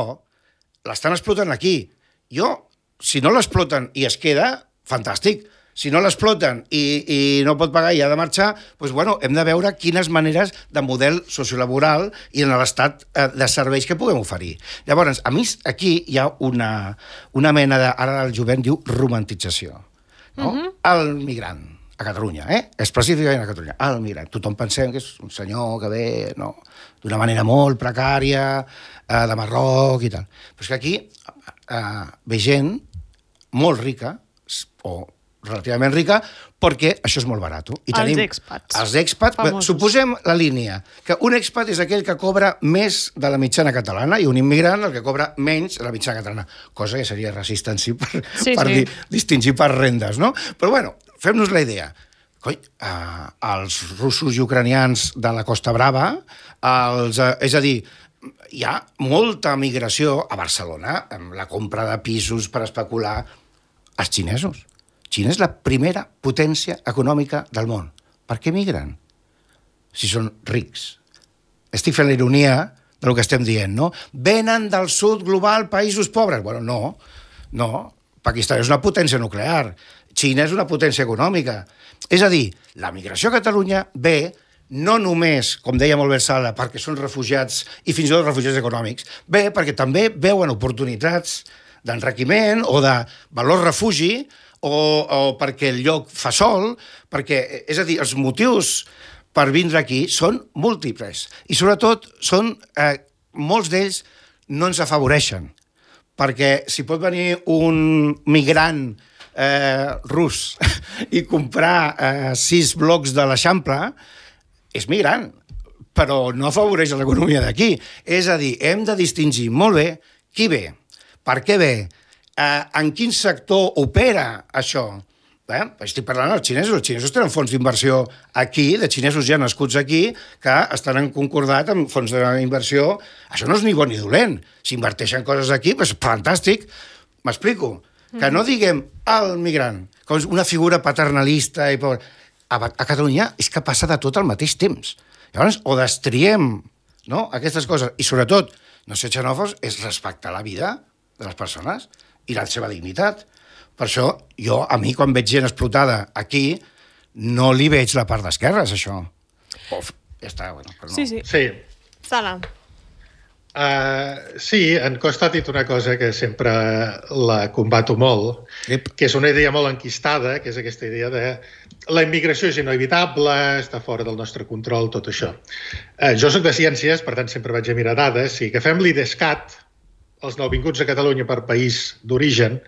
[SPEAKER 3] l'estan explotant aquí. Jo, si no l'exploten i es queda, fantàstic. Si no l'exploten i, i no pot pagar i ha de marxar, doncs, bueno, hem de veure quines maneres de model sociolaboral i en l'estat de serveis que puguem oferir. Llavors, a mi aquí hi ha una, una mena de, ara el jovent diu romantització. No? Uh-huh. El migrant a Catalunya, eh? Específicament a Catalunya. El migrant. Tothom pensem que és un senyor que ve, no, d'una manera molt precària, eh, de Marroc i tal. Però és que aquí eh, ve gent molt rica, o relativament rica, perquè això és molt barat. I
[SPEAKER 1] Els
[SPEAKER 3] tenim
[SPEAKER 1] expats.
[SPEAKER 3] Els expats.
[SPEAKER 1] Famosos.
[SPEAKER 3] Suposem la línia, que un expat és aquell que cobra més de la mitjana catalana i un immigrant el que cobra menys de la mitjana catalana, cosa que seria racista en si per,
[SPEAKER 1] Sí,
[SPEAKER 3] per
[SPEAKER 1] sí.
[SPEAKER 3] dir, distingir per rendes, no? Però bueno, fem-nos la idea. Coi, eh, els russos i ucranians de la Costa Brava, els, eh, és a dir, hi ha molta migració a Barcelona, amb la compra de pisos per especular, els xinesos. Xina és la primera potència econòmica del món. Per què migren? Si són rics. Estic fent la ironia del que estem dient, no? Venen del sud global països pobres. Bueno, no, no. Pakistan és una potència nuclear. Xina és una potència econòmica. És a dir, la migració a Catalunya ve no només, com deia molt bé Sala, perquè són refugiats i fins i tot refugiats econòmics, ve perquè també veuen oportunitats d'enriquiment o de valor refugi o, o perquè el lloc fa sol, perquè, és a dir, els motius per vindre aquí són múltiples i sobretot són, eh, molts d'ells no ens afavoreixen, perquè si pot venir un migrant eh, rus i comprar eh, sis blocs de l'Eixample, és migrant, però no afavoreix l'economia d'aquí. És a dir, hem de distingir molt bé qui ve, per què ve, eh, en quin sector opera això. Eh? Estic parlant dels xinesos. Els xinesos tenen fons d'inversió aquí, de xinesos ja nascuts aquí, que estan en concordat amb fons d'inversió. Això no és ni bon ni dolent. Si inverteixen coses aquí, doncs fantàstic. M'explico. Que no diguem el migrant, com una figura paternalista i pobre. A, a Catalunya és que passa de tot al mateix temps. Llavors, o destriem, no?, aquestes coses, i sobretot, no ser xenòfobs, és respectar la vida de les persones i la seva dignitat. Per això, jo, a mi, quan veig gent explotada aquí, no li veig la part d'esquerres, això. Uf, ja està, bueno, però no.
[SPEAKER 1] Sí, sí.
[SPEAKER 4] Sí.
[SPEAKER 1] Sala.
[SPEAKER 4] Uh, sí, en Costa ha dit una cosa que sempre la combato molt,
[SPEAKER 3] Ep.
[SPEAKER 4] que és una idea molt enquistada, que és aquesta idea de la immigració és inevitable, està fora del nostre control, tot això. Uh, jo soc de ciències, per tant sempre vaig a mirar dades. Si agafem l'IDESCAT, els nouvinguts a Catalunya per país d'origen,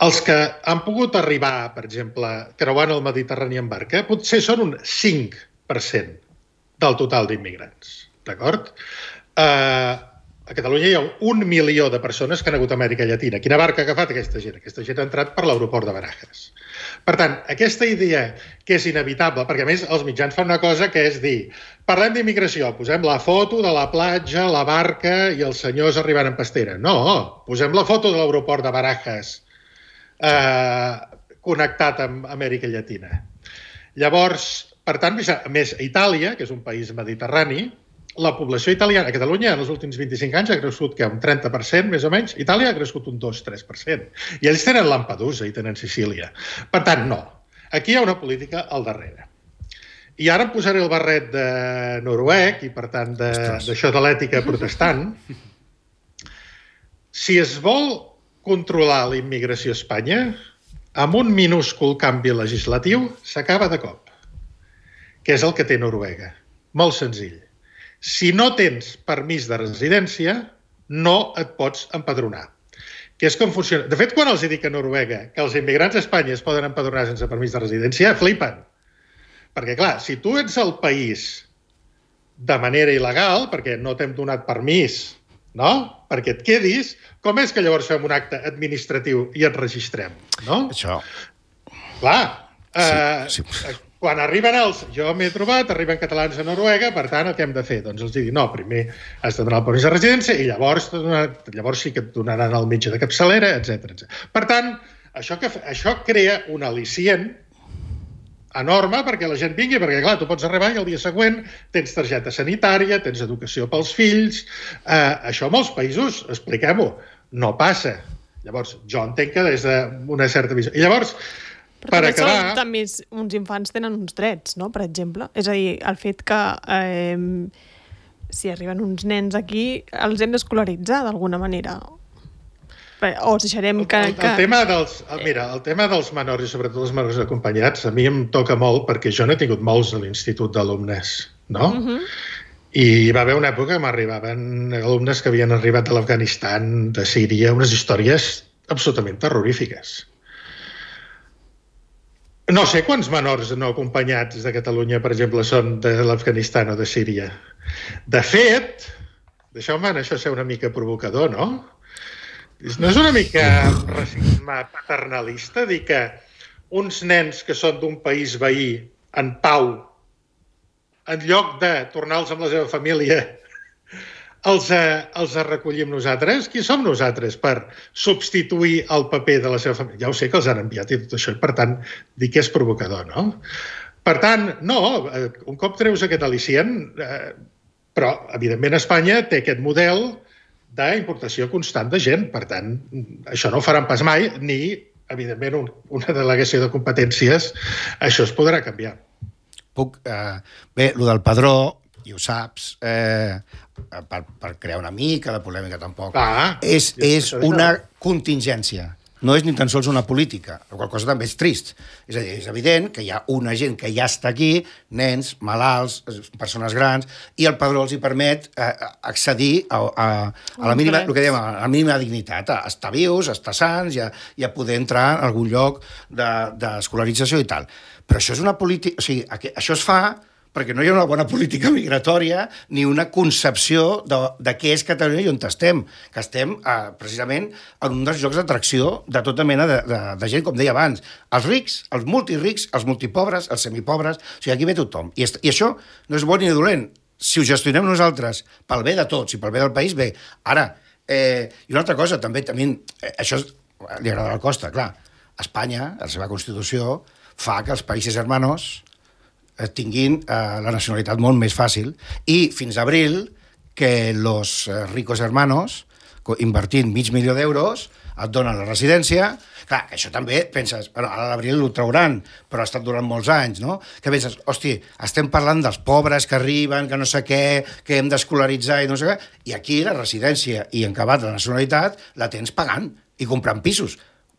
[SPEAKER 4] els que han pogut arribar, per exemple, creuant el Mediterrani en barca, potser són un cinc per cent del total d'immigrants, d'acord? Uh, a Catalunya hi ha un milió de persones que han hagut a Amèrica Llatina. Quina barca ha agafat aquesta gent? Aquesta gent ha entrat per l'aeroport de Barajas. Per tant, aquesta idea que és inevitable, perquè a més els mitjans fan una cosa que és dir, parlem d'immigració, posem la foto de la platja, la barca i els senyors arribant en pastera. No, posem la foto de l'aeroport de Barajas eh, connectat amb Amèrica Llatina. Llavors, per tant, a més, a Itàlia, que és un país mediterrani, la població italiana a Catalunya en els últims vint-i-cinc anys ha crescut que un trenta per cent, més o menys. Itàlia ha crescut un dos a tres per cent. I ells tenen Lampedusa i tenen Sicília. Per tant, no. Aquí hi ha una política al darrere. I ara em posaré el barret de noruec i, per tant, d'això de, de l'ètica protestant. Si es vol controlar la immigració a Espanya, amb un minúscul canvi legislatiu s'acaba de cop, que és el que té Noruega. Molt senzill. Si no tens permís de residència, no et pots empadronar. Que és com funciona. De fet, quan els dic a Noruega que els immigrants a Espanya es poden empadronar sense permís de residència, flipen. Perquè, clar, si tu ets al país de manera il·legal, perquè no t'hem donat permís, no?, perquè et quedis, com és que llavors fem un acte administratiu i et registrem, no?
[SPEAKER 3] Això.
[SPEAKER 4] Clar.
[SPEAKER 3] Sí,
[SPEAKER 4] eh,
[SPEAKER 3] sí.
[SPEAKER 4] Quan arriben els... Jo m'he trobat, arriben catalans a Noruega, per tant, el que hem de fer? Doncs els dic, no, primer has de donar el permís de residència i llavors, llavors sí que et donaran el metge de capçalera, etcètera, etcètera. Per tant, això, que, això crea un al·licient enorme perquè la gent vingui, perquè, clar, tu pots arribar i el dia següent tens targeta sanitària, tens educació pels fills... Eh, això a molts països, expliquem-ho, no passa. Llavors, jo entenc que des d'una certa visió... I llavors...
[SPEAKER 1] Però
[SPEAKER 4] per
[SPEAKER 1] també,
[SPEAKER 4] acabar...
[SPEAKER 1] són, també uns infants tenen uns drets, no?, per exemple. És a dir, el fet que eh, si arriben uns nens aquí els hem d'escolaritzar d'alguna manera. O els deixarem que...
[SPEAKER 4] El, el, el, tema dels, el, mira, el tema dels menors i sobretot els menors acompanyats a mi em toca molt perquè jo no he tingut molts a l'institut d'alumnes, no? Uh-huh. I hi va haver una època que m'arribaven alumnes que havien arribat de l'Afganistan, de Síria, unes històries absolutament terrorífiques. No sé quants menors no acompanyats de Catalunya, per exemple, són de l'Afganistan o de Síria. De fet, deixeu-me en això ser una mica provocador, no? No és una mica racisme paternalista dir que uns nens que són d'un país veí en pau, en lloc de tornar-los amb la seva família, els, eh, els recollim nosaltres? Qui som nosaltres per substituir el paper de la seva família? Ja ho sé que els han enviat i tot això, i per tant, dic que és provocador, no? Per tant, no, un cop treus aquest al·licient, eh, però, evidentment, Espanya té aquest model d'importació constant de gent. Per tant, això no ho faran pas mai, ni, evidentment, un, una delegació de competències, això es podrà canviar.
[SPEAKER 3] Puc, eh, bé, el del padró, i ho saps, eh, per, per crear una mica de polèmica tampoc,
[SPEAKER 4] ah,
[SPEAKER 3] és, és una contingència. No és ni tan sols una política, la qual cosa també és trist. És a dir, és evident que hi ha una gent que ja està aquí, nens, malalts, persones grans, i el padró els hi permet eh, accedir a, a, a la mínima, el que dèiem, a la mínima dignitat, a estar vius, a estar sants i a, i a poder entrar en algun lloc d'escolarització de, i tal. Però això és una política... O sigui, això es fa perquè no hi ha una bona política migratòria ni una concepció de, de què és Catalunya i on estem, que estem eh, precisament en un dels llocs d'atracció de tota mena de, de, de gent, com deia abans, els rics, els multirics, els multipobres, els semipobres, o sigui, aquí ve tothom. I, I això no és bo ni dolent. Si ho gestionem nosaltres pel bé de tots i pel bé del país, bé. Ara, eh, i una altra cosa, també, també eh, això li agrada a la Costa, clar, Espanya, la seva Constitució, fa que els països hermanos tinguin eh, la nacionalitat molt més fàcil, i fins a abril que los eh, ricos hermanos, invertint mig milió d'euros, et donen la residència. Clar, això també penses, bueno, ara a l'abril ho trauran, però ha estat durant molts anys, no? Que penses, hosti, estem parlant dels pobres que arriben, que no sé què, que hem d'escolaritzar i no sé què, i aquí la residència i en acabat la nacionalitat la tens pagant i comprant pisos.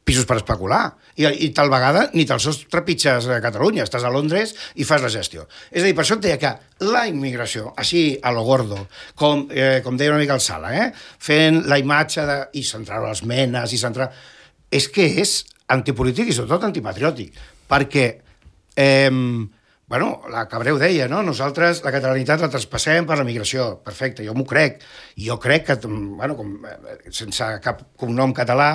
[SPEAKER 3] pisos per especular, i, i tal vegada ni te'ls sos trepitges a Catalunya, estàs a Londres i fas la gestió. És a dir, per això et deia que la immigració, així a lo gordo, com, eh, com deia una mica el Sala, eh, fent la imatge de, i centrar les menes, i centrar... és que és antipolític i sobretot antipatriòtic, perquè, eh, bueno, la Cabreu deia, no? Nosaltres la catalanitat la traspassem per la migració, perfecte, jo m'ho crec, i jo crec que, bueno, com, sense cap cognom català,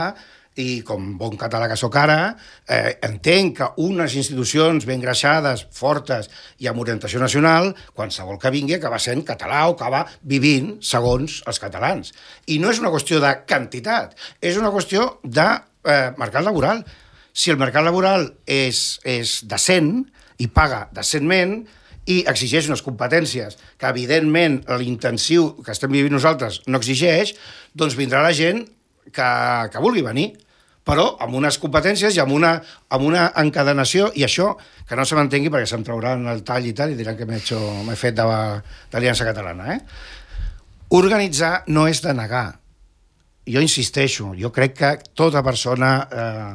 [SPEAKER 3] i com bon català que sóc ara, eh, entenc que unes institucions ben greixades, fortes i amb orientació nacional, qualsevol que vingui acaba sent català o acaba vivint segons els catalans. I no és una qüestió de quantitat, és una qüestió de eh, mercat laboral. Si el mercat laboral és, és decent i paga decentment i exigeix unes competències que, evidentment, l'intensiu que estem vivint nosaltres no exigeix, doncs vindrà la gent que, que vulgui venir, però amb unes competències i amb una, amb una encadenació, i això, que no se m'entengui perquè se'm trauran el tall i tal, i diran que m'he hecho, m'he fet d'Aliança Catalana. Eh? Organitzar no és denegar. Jo insisteixo, jo crec que tota persona eh,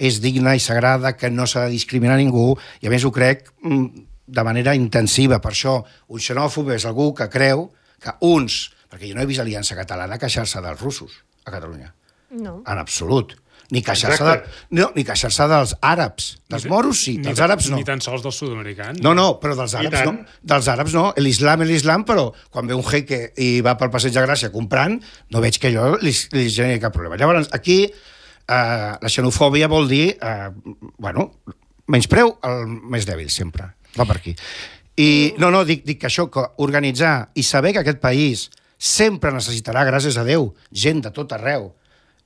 [SPEAKER 3] és digna i sagrada, que no s'ha de discriminar ningú, i a més ho crec de manera intensiva. Per això, un xenòfob és algú que creu que uns... Perquè jo no he vist Aliança Catalana queixar-se dels russos a Catalunya.
[SPEAKER 1] No.
[SPEAKER 3] En absolut. Ni queixar-se de, no, ni queixar-se dels àrabs. Dels moros sí, dels àrabs no.
[SPEAKER 2] Ni tan sols dels sud-americans.
[SPEAKER 3] No, no, però dels àrabs no. Dels àrabs no. L'islam és l'islam, però quan ve un jeque i va pel Passeig de Gràcia comprant, no veig que allò li, li generi cap problema. Llavors, aquí eh, la xenofòbia vol dir, eh, bueno, menyspreu el més dèbil, sempre. Va per aquí. I no, no, dic, dic que això, que organitzar i saber que aquest país sempre necessitarà, gràcies a Déu, gent de tot arreu.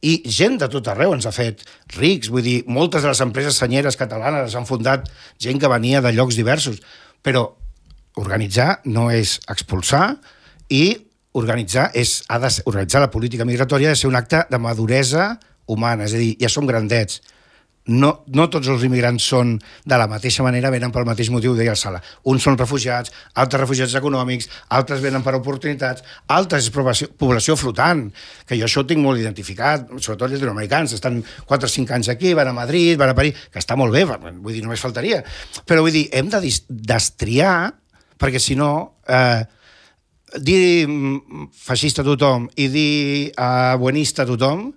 [SPEAKER 3] I gent de tot arreu ens ha fet rics. Vull dir, moltes de les empreses senyeres catalanes han fundat gent que venia de llocs diversos. Però organitzar no és expulsar, i organitzar, és, ha de ser, organitzar la política migratòria ha de ser un acte de maduresa humana. És a dir, ja som grandets. No, no tots els immigrants són de la mateixa manera, venen pel mateix motiu, deia el Sala. Uns són refugiats, altres refugiats econòmics, altres venen per oportunitats, altres és població, població flotant, que jo això ho tinc molt identificat, sobretot els llatinoamericans, estan quatre o cinc anys aquí, van a Madrid, van a París, que està molt bé, vull dir, només faltaria. Però vull dir, hem de destriar, perquè si no, eh, dir feixista a tothom i dir eh, buenista a tothom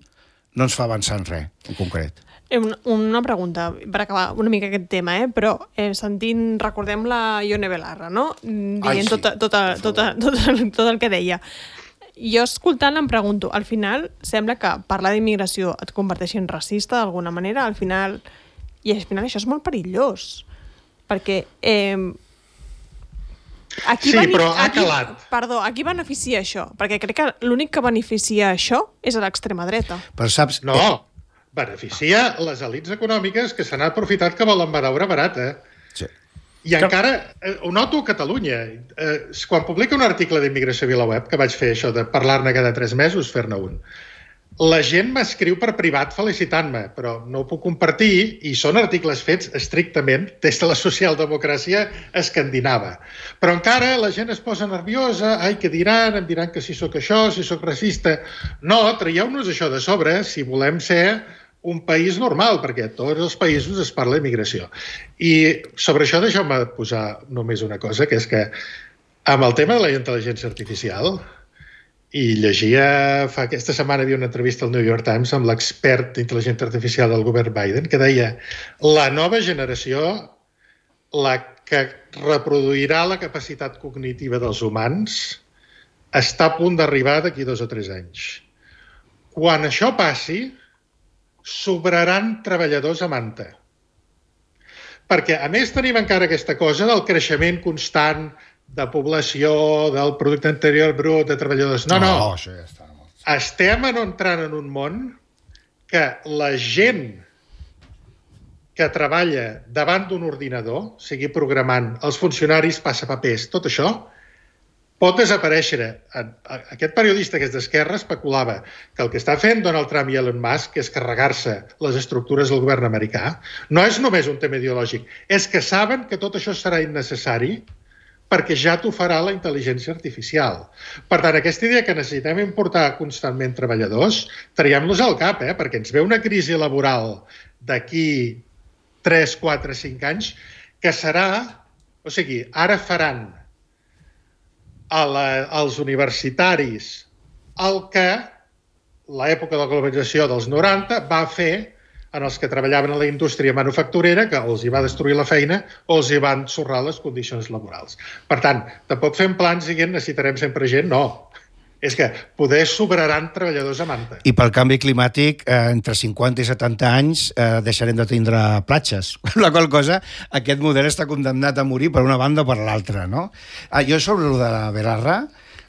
[SPEAKER 3] no ens fa avançar en res, en concret.
[SPEAKER 1] Una, una pregunta, per acabar una mica aquest tema, eh? Però eh, sentint, recordem la Ione Belarra, no? Dient
[SPEAKER 3] Ai, sí,
[SPEAKER 1] tota, tota, tota, tot, tot el que deia. Jo escoltant em pregunto, al final sembla que parlar d'immigració et converteixi en racista d'alguna manera, al final... I al final això és molt perillós, perquè... Eh, aquí
[SPEAKER 4] sí,
[SPEAKER 1] bene...
[SPEAKER 4] però ha
[SPEAKER 1] aquí,
[SPEAKER 4] calat.
[SPEAKER 1] Perdó, a qui beneficia això? Perquè crec que l'únic que beneficia això és a l'extrema dreta.
[SPEAKER 3] Però saps...
[SPEAKER 4] No, beneficia les elits econòmiques que se n'han aprofitat que volen beure barat, eh?
[SPEAKER 3] Sí.
[SPEAKER 4] I encara, eh, ho noto a Catalunya. Eh, quan publica un article d'immigració a VilaWeb, que vaig fer això de parlar-ne cada tres mesos, fer-ne un, la gent m'escriu per privat felicitant-me, però no ho puc compartir i són articles fets estrictament des de la socialdemocràcia escandinava. Però encara la gent es posa nerviosa, ai, què diran? Em diran que si sóc això, si sóc racista... No, traieu-nos això de sobre si volem ser un país normal, perquè a tots els països es parla d'immigració. I sobre això deixeu-me posar només una cosa, que és que amb el tema de la intel·ligència artificial... I llegia, fa aquesta setmana havia una entrevista al New York Times amb l'expert d'intel·ligència artificial del govern Biden, que deia la nova generació, la que reproduirà la capacitat cognitiva dels humans, està a punt d'arribar d'aquí dos o tres anys. Quan això passi, sobraran treballadors a manta. Perquè, a més, tenim encara aquesta cosa del creixement constant de població, del producte interior brut, de treballadors. No, no.
[SPEAKER 3] no això ja està.
[SPEAKER 4] Estem entrant en un món que la gent que treballa davant d'un ordinador, sigui programant, els funcionaris, passapapers, tot això, pot desaparèixer. Aquest periodista que és d'esquerra especulava que el que està fent Donald Trump i Elon Musk, que és carregar-se les estructures del govern americà, no és només un tema ideològic, és que saben que tot això serà innecessari perquè ja t'ho farà la intel·ligència artificial. Per tant, aquesta idea que necessitem importar constantment treballadors, traiem-los al cap, eh? Perquè ens ve una crisi laboral d'aquí tres, quatre, cinc anys, que serà... O sigui, ara faran a la, als universitaris el que l'època de la globalització dels noranta va fer en els que treballaven a la indústria manufacturera, que els hi va destruir la feina o els hi van ensorrar les condicions laborals. Per tant, tampoc fem plans dient necessitarem sempre gent, no. És que poder sobraran treballadors a manta.
[SPEAKER 3] I pel canvi climàtic, eh, entre cinquanta i setanta anys, eh, deixarem de tindre platges. La qual cosa, aquest model està condemnat a morir per una banda o per l'altra, no? Ah, jo sobre el de la Belarra,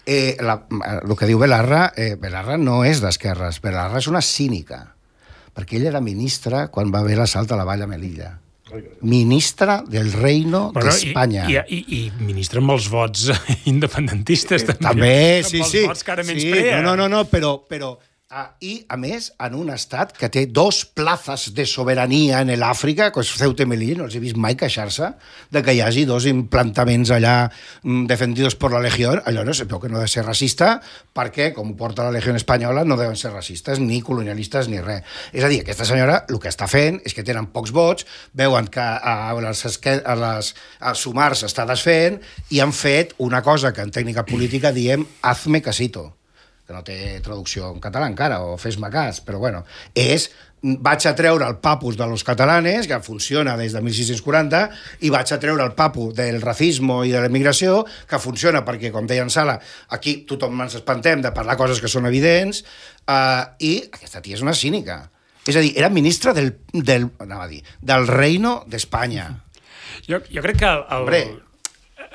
[SPEAKER 3] eh, la, el que diu Belarra, eh, Belarra no és d'esquerres, Belarra és una cínica, perquè ell era ministre quan va haver l'assalt a la Vall de Melilla. Ministre del Reino bueno, d'Espanya.
[SPEAKER 2] I, i, i, I ministre amb els vots independentistes, també.
[SPEAKER 3] També, sí,
[SPEAKER 2] amb
[SPEAKER 3] sí.
[SPEAKER 2] els vots que ara
[SPEAKER 3] sí,
[SPEAKER 2] menysprea.
[SPEAKER 3] No, no, no, però... però Ah, I, a més, en un estat que té dos plazas de sobirania en l'Àfrica, que és Ceuta i Melilla, no els he vist mai queixar-se de que hi hagi dos implantaments allà mm, defendidos per la Legió. Allò no sé, però que no ha de ser racista, perquè, com ho porta la Legió espanyola, no deuen ser racistes, ni colonialistes, ni res. És a dir, aquesta senyora el que està fent és que tenen pocs vots, veuen que a les, a les a sumars s'està desfent i han fet una cosa que en tècnica política diem hazme casito, que no té traducció en català encara, o fes-me cas, però bueno, és vaig a treure el papus de los catalanes, que funciona des de mil sis-cents quaranta, i vaig a treure el papu del racisme i de l'emigració, que funciona perquè, com deia en Sala, aquí tothom ens espantem de parlar coses que són evidents, eh, i aquesta tia és una cínica. És a dir, era ministre del, del, anava a dir, del Reino d'Espanya.
[SPEAKER 2] Jo, jo crec que... El, el...
[SPEAKER 3] Hombre,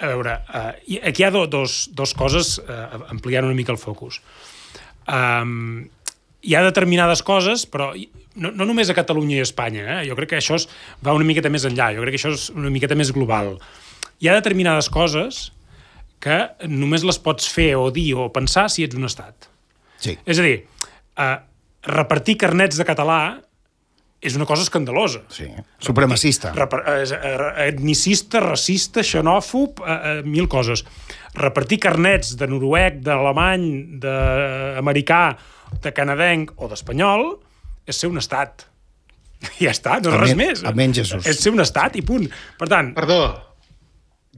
[SPEAKER 2] A veure, uh, aquí hi ha do, dos, dos coses, uh, ampliant una mica el focus. Um, hi ha determinades coses, però no, no només a Catalunya i a Espanya, eh? Jo crec que això es, va una miqueta més enllà, jo crec que això és una miqueta més global. Hi ha determinades coses que només les pots fer o dir o pensar si ets un estat.
[SPEAKER 3] Sí.
[SPEAKER 2] És a dir, uh, repartir carnets de català és una cosa escandalosa.
[SPEAKER 3] Sí, supremacista.
[SPEAKER 2] Etnicista, racista, xenòfob, eh, eh, mil coses. Repartir carnets de noruec, d'alemany, d'americà, de canadenc o d'espanyol és ser un estat. Ja està, no és res més.
[SPEAKER 3] Amén, Jesús.
[SPEAKER 2] És ser un estat i punt. Per tant...
[SPEAKER 4] Perdó,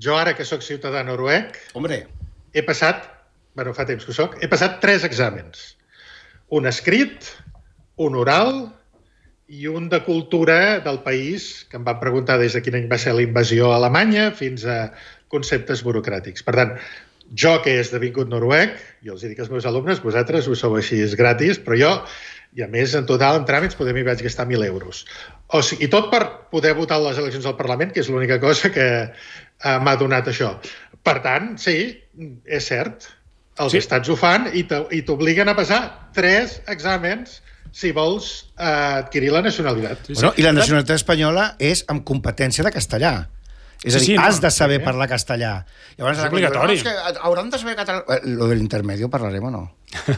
[SPEAKER 4] jo ara que sóc ciutadà noruec,
[SPEAKER 3] Hombre.
[SPEAKER 4] he passat, bueno, fa temps que ho soc, he passat tres exàmens. Un escrit, un oral i un de cultura del país, que em van preguntar des de quin any va ser la invasió a Alemanya fins a conceptes burocràtics. Per tant, jo que he esdevingut noruec, jo els dic als meus alumnes, vosaltres ho sou així, és gratis, però jo, i a més, en total, en tràmits, poder m'hi vaig gastar mil euros. O sigui, i tot per poder votar a les eleccions al Parlament, que és l'única cosa que uh, m'ha donat això. Per tant, sí, és cert, els sí. estats ho fan i t'obliguen a passar tres exàmens si vols uh, adquirir la nacionalitat.
[SPEAKER 3] Sí, sí. Bueno, i la nacionalitat espanyola és amb competència de castellà. És a dir, sí, sí, has no, de saber sí, parlar castellà. Llavors,
[SPEAKER 2] és obligatori.
[SPEAKER 3] No, és que hauran de saber català. Lo de l'intermedio parlarem o no?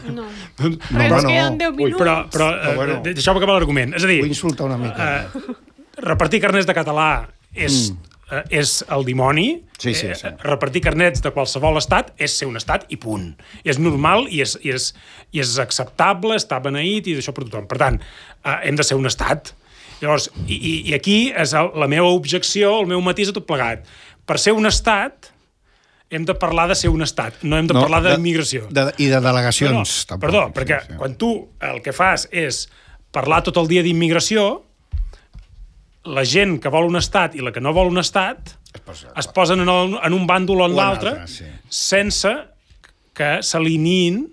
[SPEAKER 1] No.
[SPEAKER 3] no,
[SPEAKER 1] no, no. Queden deu minuts.
[SPEAKER 2] Ui, però, però, però bueno, uh, deixeu-me acabar l'argument. És a dir,
[SPEAKER 3] vull insultar una mica.
[SPEAKER 2] Uh, repartir carnets de català és, mm. uh, és el dimoni.
[SPEAKER 3] Sí, sí, sí.
[SPEAKER 2] Uh, repartir carnets de qualsevol estat és ser un estat i punt. És normal i és, i és, i és acceptable, està beneït i d'això per tothom. Per tant, uh, hem de ser un estat. Llavors, i, i aquí és el, la meva objecció, el meu matís a tot plegat. Per ser un estat, hem de parlar de ser un estat, no hem de no, parlar d'immigració.
[SPEAKER 3] De, I de delegacions.
[SPEAKER 2] No, no,
[SPEAKER 3] tampoc,
[SPEAKER 2] perdó, perquè sí, sí. quan tu el que fas és parlar tot el dia d'immigració, la gent que vol un estat i la que no vol un estat es, posa, es posen en, el, en un bàndol o en l'altre sí. sense que s'alineïn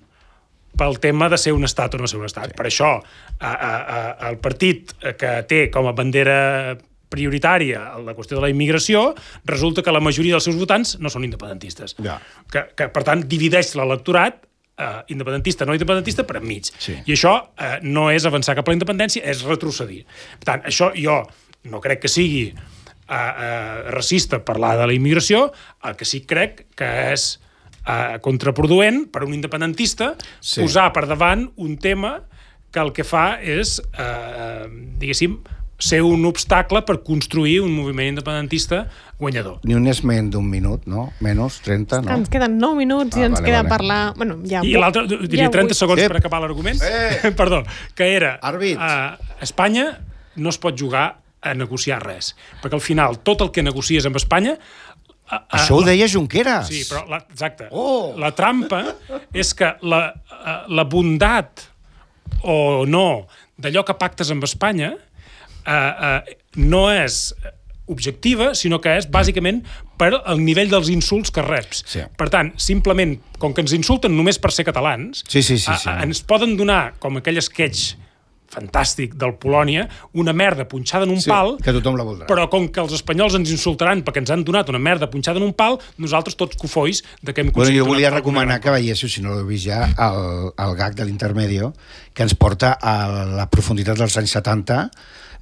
[SPEAKER 2] pel tema de ser un estat o no ser un estat. Sí. Per això, a, a, a, el partit que té com a bandera prioritària la qüestió de la immigració, resulta que la majoria dels seus votants no són independentistes.
[SPEAKER 3] Ja.
[SPEAKER 2] Que, que, per tant, divideix l'electorat eh, independentista, no independentista, per enmig.
[SPEAKER 3] Sí.
[SPEAKER 2] I això eh, no és avançar cap a la independència, és retrocedir. Per tant, això jo no crec que sigui eh, eh, racista parlar de la immigració, el que sí crec que és Uh, contraproduent per un independentista sí. posar per davant un tema que el que fa és, uh, diguéssim, ser un obstacle per construir un moviment independentista guanyador.
[SPEAKER 3] Ni un esment d'un minut, no? Menys, trenta, no?
[SPEAKER 1] Ens queden nou minuts ah, i ens vale, queda vale. parlar... Bueno, ja
[SPEAKER 2] I l'altre, diria ja trenta segons eh. per acabar l'argument.
[SPEAKER 3] Eh.
[SPEAKER 2] Perdó, que era...
[SPEAKER 3] Àrbit.
[SPEAKER 2] Uh, Espanya no es pot jugar a negociar res, perquè al final tot el que negocies amb Espanya Uh, uh,
[SPEAKER 3] Això ho deia Junqueras.
[SPEAKER 2] Sí, però la, exacte.
[SPEAKER 3] Oh.
[SPEAKER 2] La trampa és que la, uh, la bondat o no d'allò que pactes amb Espanya uh, uh, no és objectiva, sinó que és bàsicament per el nivell dels insults que reps.
[SPEAKER 3] Sí.
[SPEAKER 2] Per tant, simplement, com que ens insulten només per ser catalans,
[SPEAKER 3] sí, sí, sí, sí.
[SPEAKER 2] Uh, ens poden donar, com aquell sketch fantàstic del Polònia, una merda punxada en un
[SPEAKER 3] sí,
[SPEAKER 2] pal,
[SPEAKER 3] que tothom la voldrà.
[SPEAKER 2] Però com que els espanyols ens insultaran perquè ens han donat una merda punxada en un pal, nosaltres tots cofois de que hem
[SPEAKER 3] aconseguit... Bueno, jo volia recomanar que veiéssiu, si no l'heu vist ja, el, el gag de l'Intermedio, que ens porta a la profunditat dels anys setanta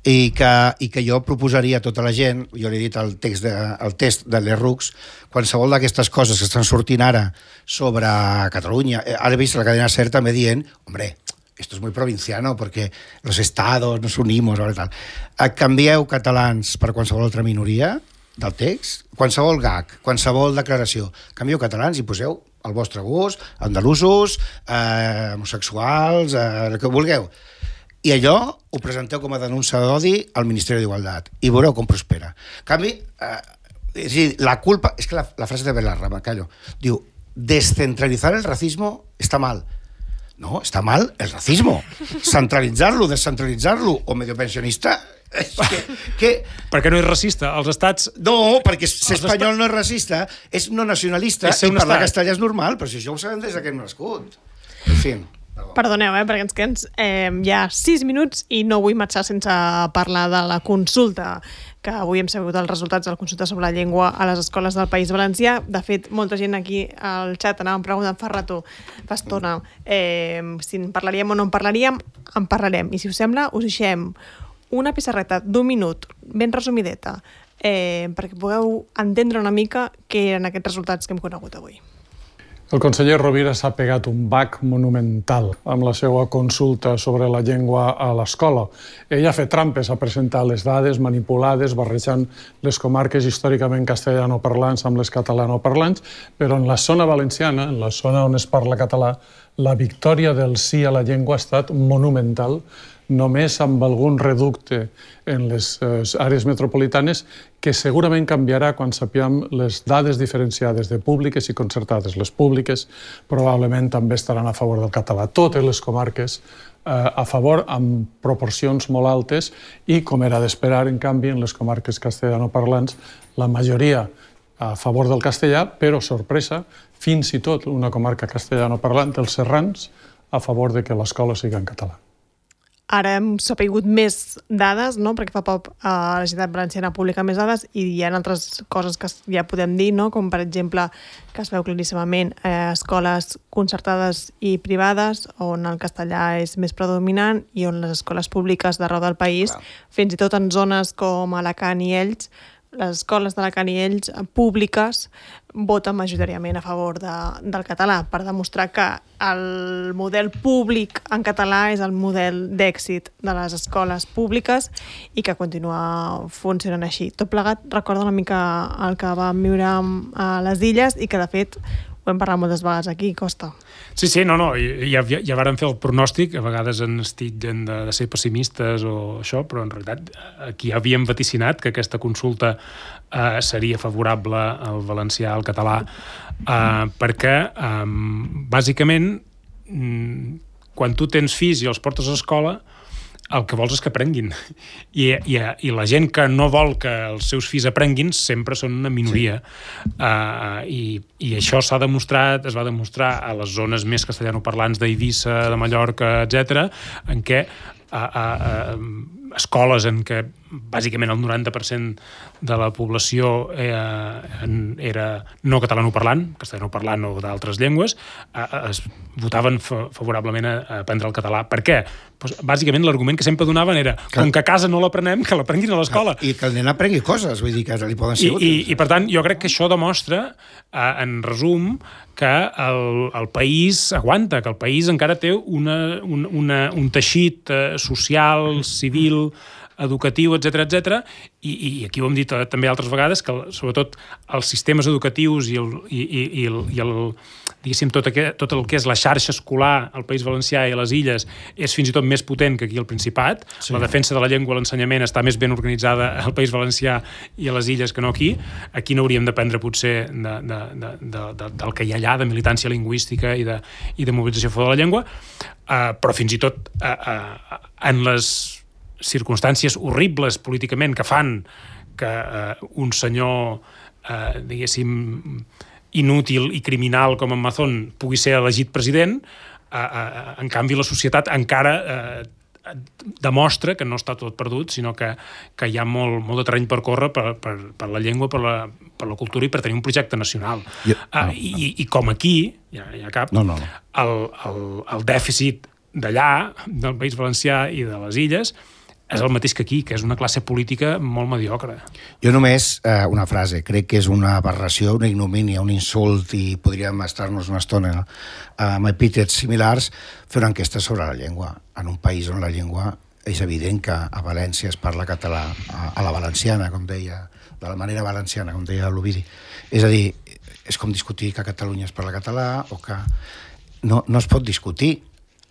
[SPEAKER 3] i que, i que jo proposaria a tota la gent, jo l'he dit al text de, al test de l'Errux, qualsevol d'aquestes coses que estan sortint ara sobre Catalunya, ara he vist la cadena SER també dient, hombre, esto es muy provinciano porque los estados nos unimos, o tal. Canvieu catalans per qualsevol altra minoria del text, qualsevol gag, qualsevol declaració, canvieu catalans i poseu al vostre gust, andalusos, eh, homosexuals, eh, el que vulgueu. I allò ho presenteu com a denúncia d'odi al Ministeri d'Igualtat i veureu com prospera. En canvi, eh, és a dir, la culpa... És que la, la frase de Belarra, me callo, diu, descentralizar el racismo está mal. No, està mal el racismo. Centralitzar-lo, descentralitzar-lo o medio pensionista... Que, que...
[SPEAKER 2] Perquè no és racista. Els estats...
[SPEAKER 3] No, perquè ser espanyol no és racista, és no nacionalista i parlar castellà és normal, però si això ho sabem des que hem nascut. En fi...
[SPEAKER 1] Perdoneu, eh, perquè ens queden eh, ja sis minuts i no vull marxar sense parlar de la consulta, que avui hem sabut els resultats de la consulta sobre la llengua a les escoles del País Valencià. De fet, molta gent aquí al xat anàvem preguntant fa rato, fa estona, eh, si en parlaríem o no en parlaríem, en parlarem. I si us sembla, us deixem una pissarreta d'un minut, ben resumideta, eh, perquè pugueu entendre una mica què eren aquests resultats que hem conegut avui.
[SPEAKER 6] El conseller Rovira s'ha pegat un bac monumental amb la seva consulta sobre la llengua a l'escola. Ell ha fet trampes, ha presentat les dades manipulades, barrejant les comarques històricament castellanoparlants amb les catalanoparlants, però en la zona valenciana, en la zona on es parla català, la victòria del sí a la llengua ha estat monumental només amb algun reducte en les àrees metropolitanes, que segurament canviarà quan sapiem les dades diferenciades de públiques i concertades. Les públiques probablement també estaran a favor del català. Totes les comarques a favor amb proporcions molt altes i, com era d'esperar, en canvi, en les comarques castellanoparlants, la majoria a favor del castellà, però, sorpresa, fins i tot una comarca castellanoparlant, els serrans, a favor de que l'escola sigui en català.
[SPEAKER 1] Ara hem sapigut més dades, no? Perquè fa poc eh, la Generalitat Valenciana publica més dades i hi ha altres coses que ja podem dir, no? Com per exemple que es veu claríssimament eh, escoles concertades i privades on el castellà és més predominant i on les escoles públiques d'arreu del país, clar, fins i tot en zones com Alacant i Elx, les escoles d'Alacant i Elx públiques voten majoritàriament a favor de, del català, per demostrar que el model públic en català és el model d'èxit de les escoles públiques i que continua funcionant així. Tot plegat recorda una mica el que vam viure a les Illes i que, de fet, ho hem parlat moltes vegades aquí, Costa.
[SPEAKER 2] Sí, sí, no, no, ja, ja, ja vàrem fer el pronòstic, a vegades ens titllen de, de ser pessimistes o això, però en realitat aquí havíem vaticinat que aquesta consulta eh, seria favorable al valencià, al català, eh, perquè eh, bàsicament quan tu tens fills i els portes a escola, el que vols és que aprenguin. I, i, i la gent que no vol que els seus fills aprenguin sempre són una minoria. Sí. Uh, i, I això s'ha demostrat, es va demostrar a les zones més castellanoparlants d'Eivissa, de Mallorca, etcètera, en què uh, uh, uh, escoles en què bàsicament el noranta per cent de la població era, era no catalanoparlant, castellanoparlant o d'altres llengües, es votaven favorablement a aprendre el català. Per què? Pues, bàsicament l'argument que sempre donaven era que, com que a casa no l'aprenem, que l'aprenguin a l'escola.
[SPEAKER 3] I que el nen aprengui coses, vull dir que li poden ser
[SPEAKER 2] I, i, I per tant, jo crec que això demostra, en resum, que el, el país aguanta, que el país encara té una, una, una, un teixit social, civil, educatiu, etcètera, etcètera, i, i aquí ho hem dit també altres vegades, que sobretot els sistemes educatius i el, i, i, i el, i el diguéssim, tot, aquest, tot el que és la xarxa escolar al País Valencià i a les Illes és fins i tot més potent que aquí al Principat. Sí. La defensa de la llengua i l'ensenyament està més ben organitzada al País Valencià i a les Illes que no aquí. Aquí no hauríem d'aprendre potser de, de, de, de, de, del que hi ha allà, de militància lingüística i de, i de mobilització a favor de la llengua, uh, però fins i tot uh, uh, en les circumstàncies horribles políticament que fan que eh, un senyor, eh, diguéssim, inútil i criminal com en Mazón pugui ser elegit president, eh, eh, en canvi la societat encara eh, demostra que no està tot perdut, sinó que, que hi ha molt, molt de terreny per córrer per, per, per la llengua, per la, per la cultura i per tenir un projecte nacional. I, no, uh, i, no. i com aquí, ja, ja cap,
[SPEAKER 3] no, no, no.
[SPEAKER 2] El, el, el dèficit d'allà, del País Valencià i de les Illes, és el mateix que aquí, que és una classe política molt mediocre.
[SPEAKER 3] Jo només, eh, una frase, crec que és una aberració, una ignomínia, un insult, i podríem estar-nos una estona eh, amb epítets similars, fer una enquesta sobre la llengua. En un país on la llengua és evident que a València es parla català, a, a la valenciana, com deia, de la manera valenciana, com deia l'Ovidi. És a dir, és com discutir que a Catalunya es parla català o que no, no es pot discutir,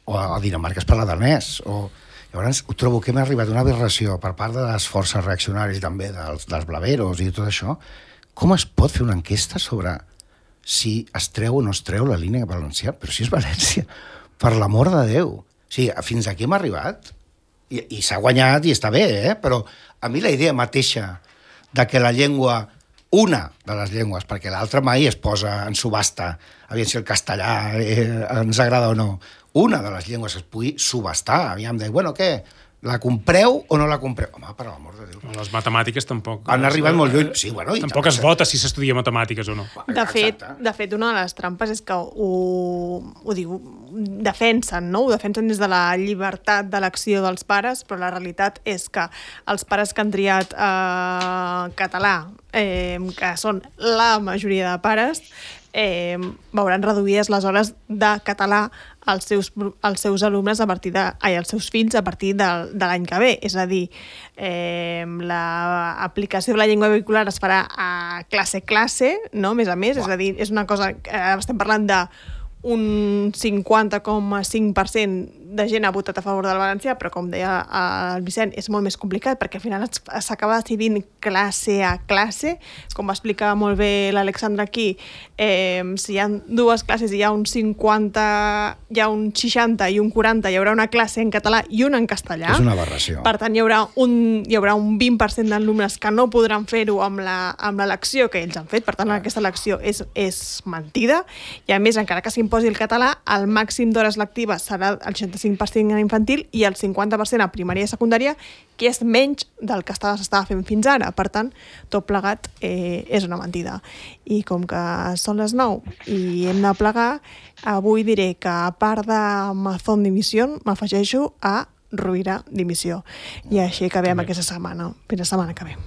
[SPEAKER 3] o a Dinamarca es parla danès, o... Llavors, ho trobo que hem arribat a una aberració per part de les forces reaccionàries i també dels, dels blaveros i tot això. Com es pot fer una enquesta sobre si es treu o no es treu la línia valenciana? Però si és València, per l'amor de Déu. O sigui, fins aquí hem arribat i, i s'ha guanyat i està bé, eh? Però a mi la idea mateixa de que la llengua, una de les llengües, perquè l'altra mai es posa en subhasta, aviam si el castellà eh, ens agrada o no, una de les llengües es pugui subhastar, aviam, de, bueno, què, la compreu o no la compreu? Home, per l'amor de Déu.
[SPEAKER 2] Les matemàtiques tampoc...
[SPEAKER 3] Han arribat molt lluny, sí, bueno... I
[SPEAKER 2] tampoc es vota si s'estudia matemàtiques o no.
[SPEAKER 1] De fet, de fet, una de les trampes és que ho, ho diu, defensen, no? Ho defensen des de la llibertat d'elecció dels pares, però la realitat és que els pares que han triat eh, català, eh, que són la majoria de pares, eh, veuran reduïdes les hores de català als seus, als seus alumnes a partir de, ai, als seus fills a partir de, de l'any que ve. És a dir, eh, l'aplicació de la llengua vehicular es farà a classe-classe, no? Més a més, és a dir, és una cosa... Eh, estem parlant de un cinquanta coma cinc per cent de gent ha votat a favor del valencià, però com deia el Vicent, és molt més complicat perquè al final s'acaba decidint classe a classe, com va explicar molt bé l'Alexandra aquí, eh, si hi ha dues classes i hi ha un cinquanta, hi ha un seixanta i un quaranta, hi haurà una classe en català i una en castellà.
[SPEAKER 3] És una aberració.
[SPEAKER 1] Per tant, hi haurà un, hi haurà un vint per cent d'alumnes que no podran fer-ho amb l'elecció que ells han fet, per tant, aquesta elecció és, és mentida, i a més, encara que s'imposi el català, el màxim d'hores lectives serà el seixanta-cinc per cent en infantil i el cinquanta per cent a primària i secundària, que és menys del que s'estava fent fins ara. Per tant, tot plegat eh, és una mentida. I com que són les nou i hem de plegar, avui diré que a part de Mazón Dimisión, m'afegeixo a Rovira Dimissió. I així acabem aquesta setmana. Fins la setmana que ve.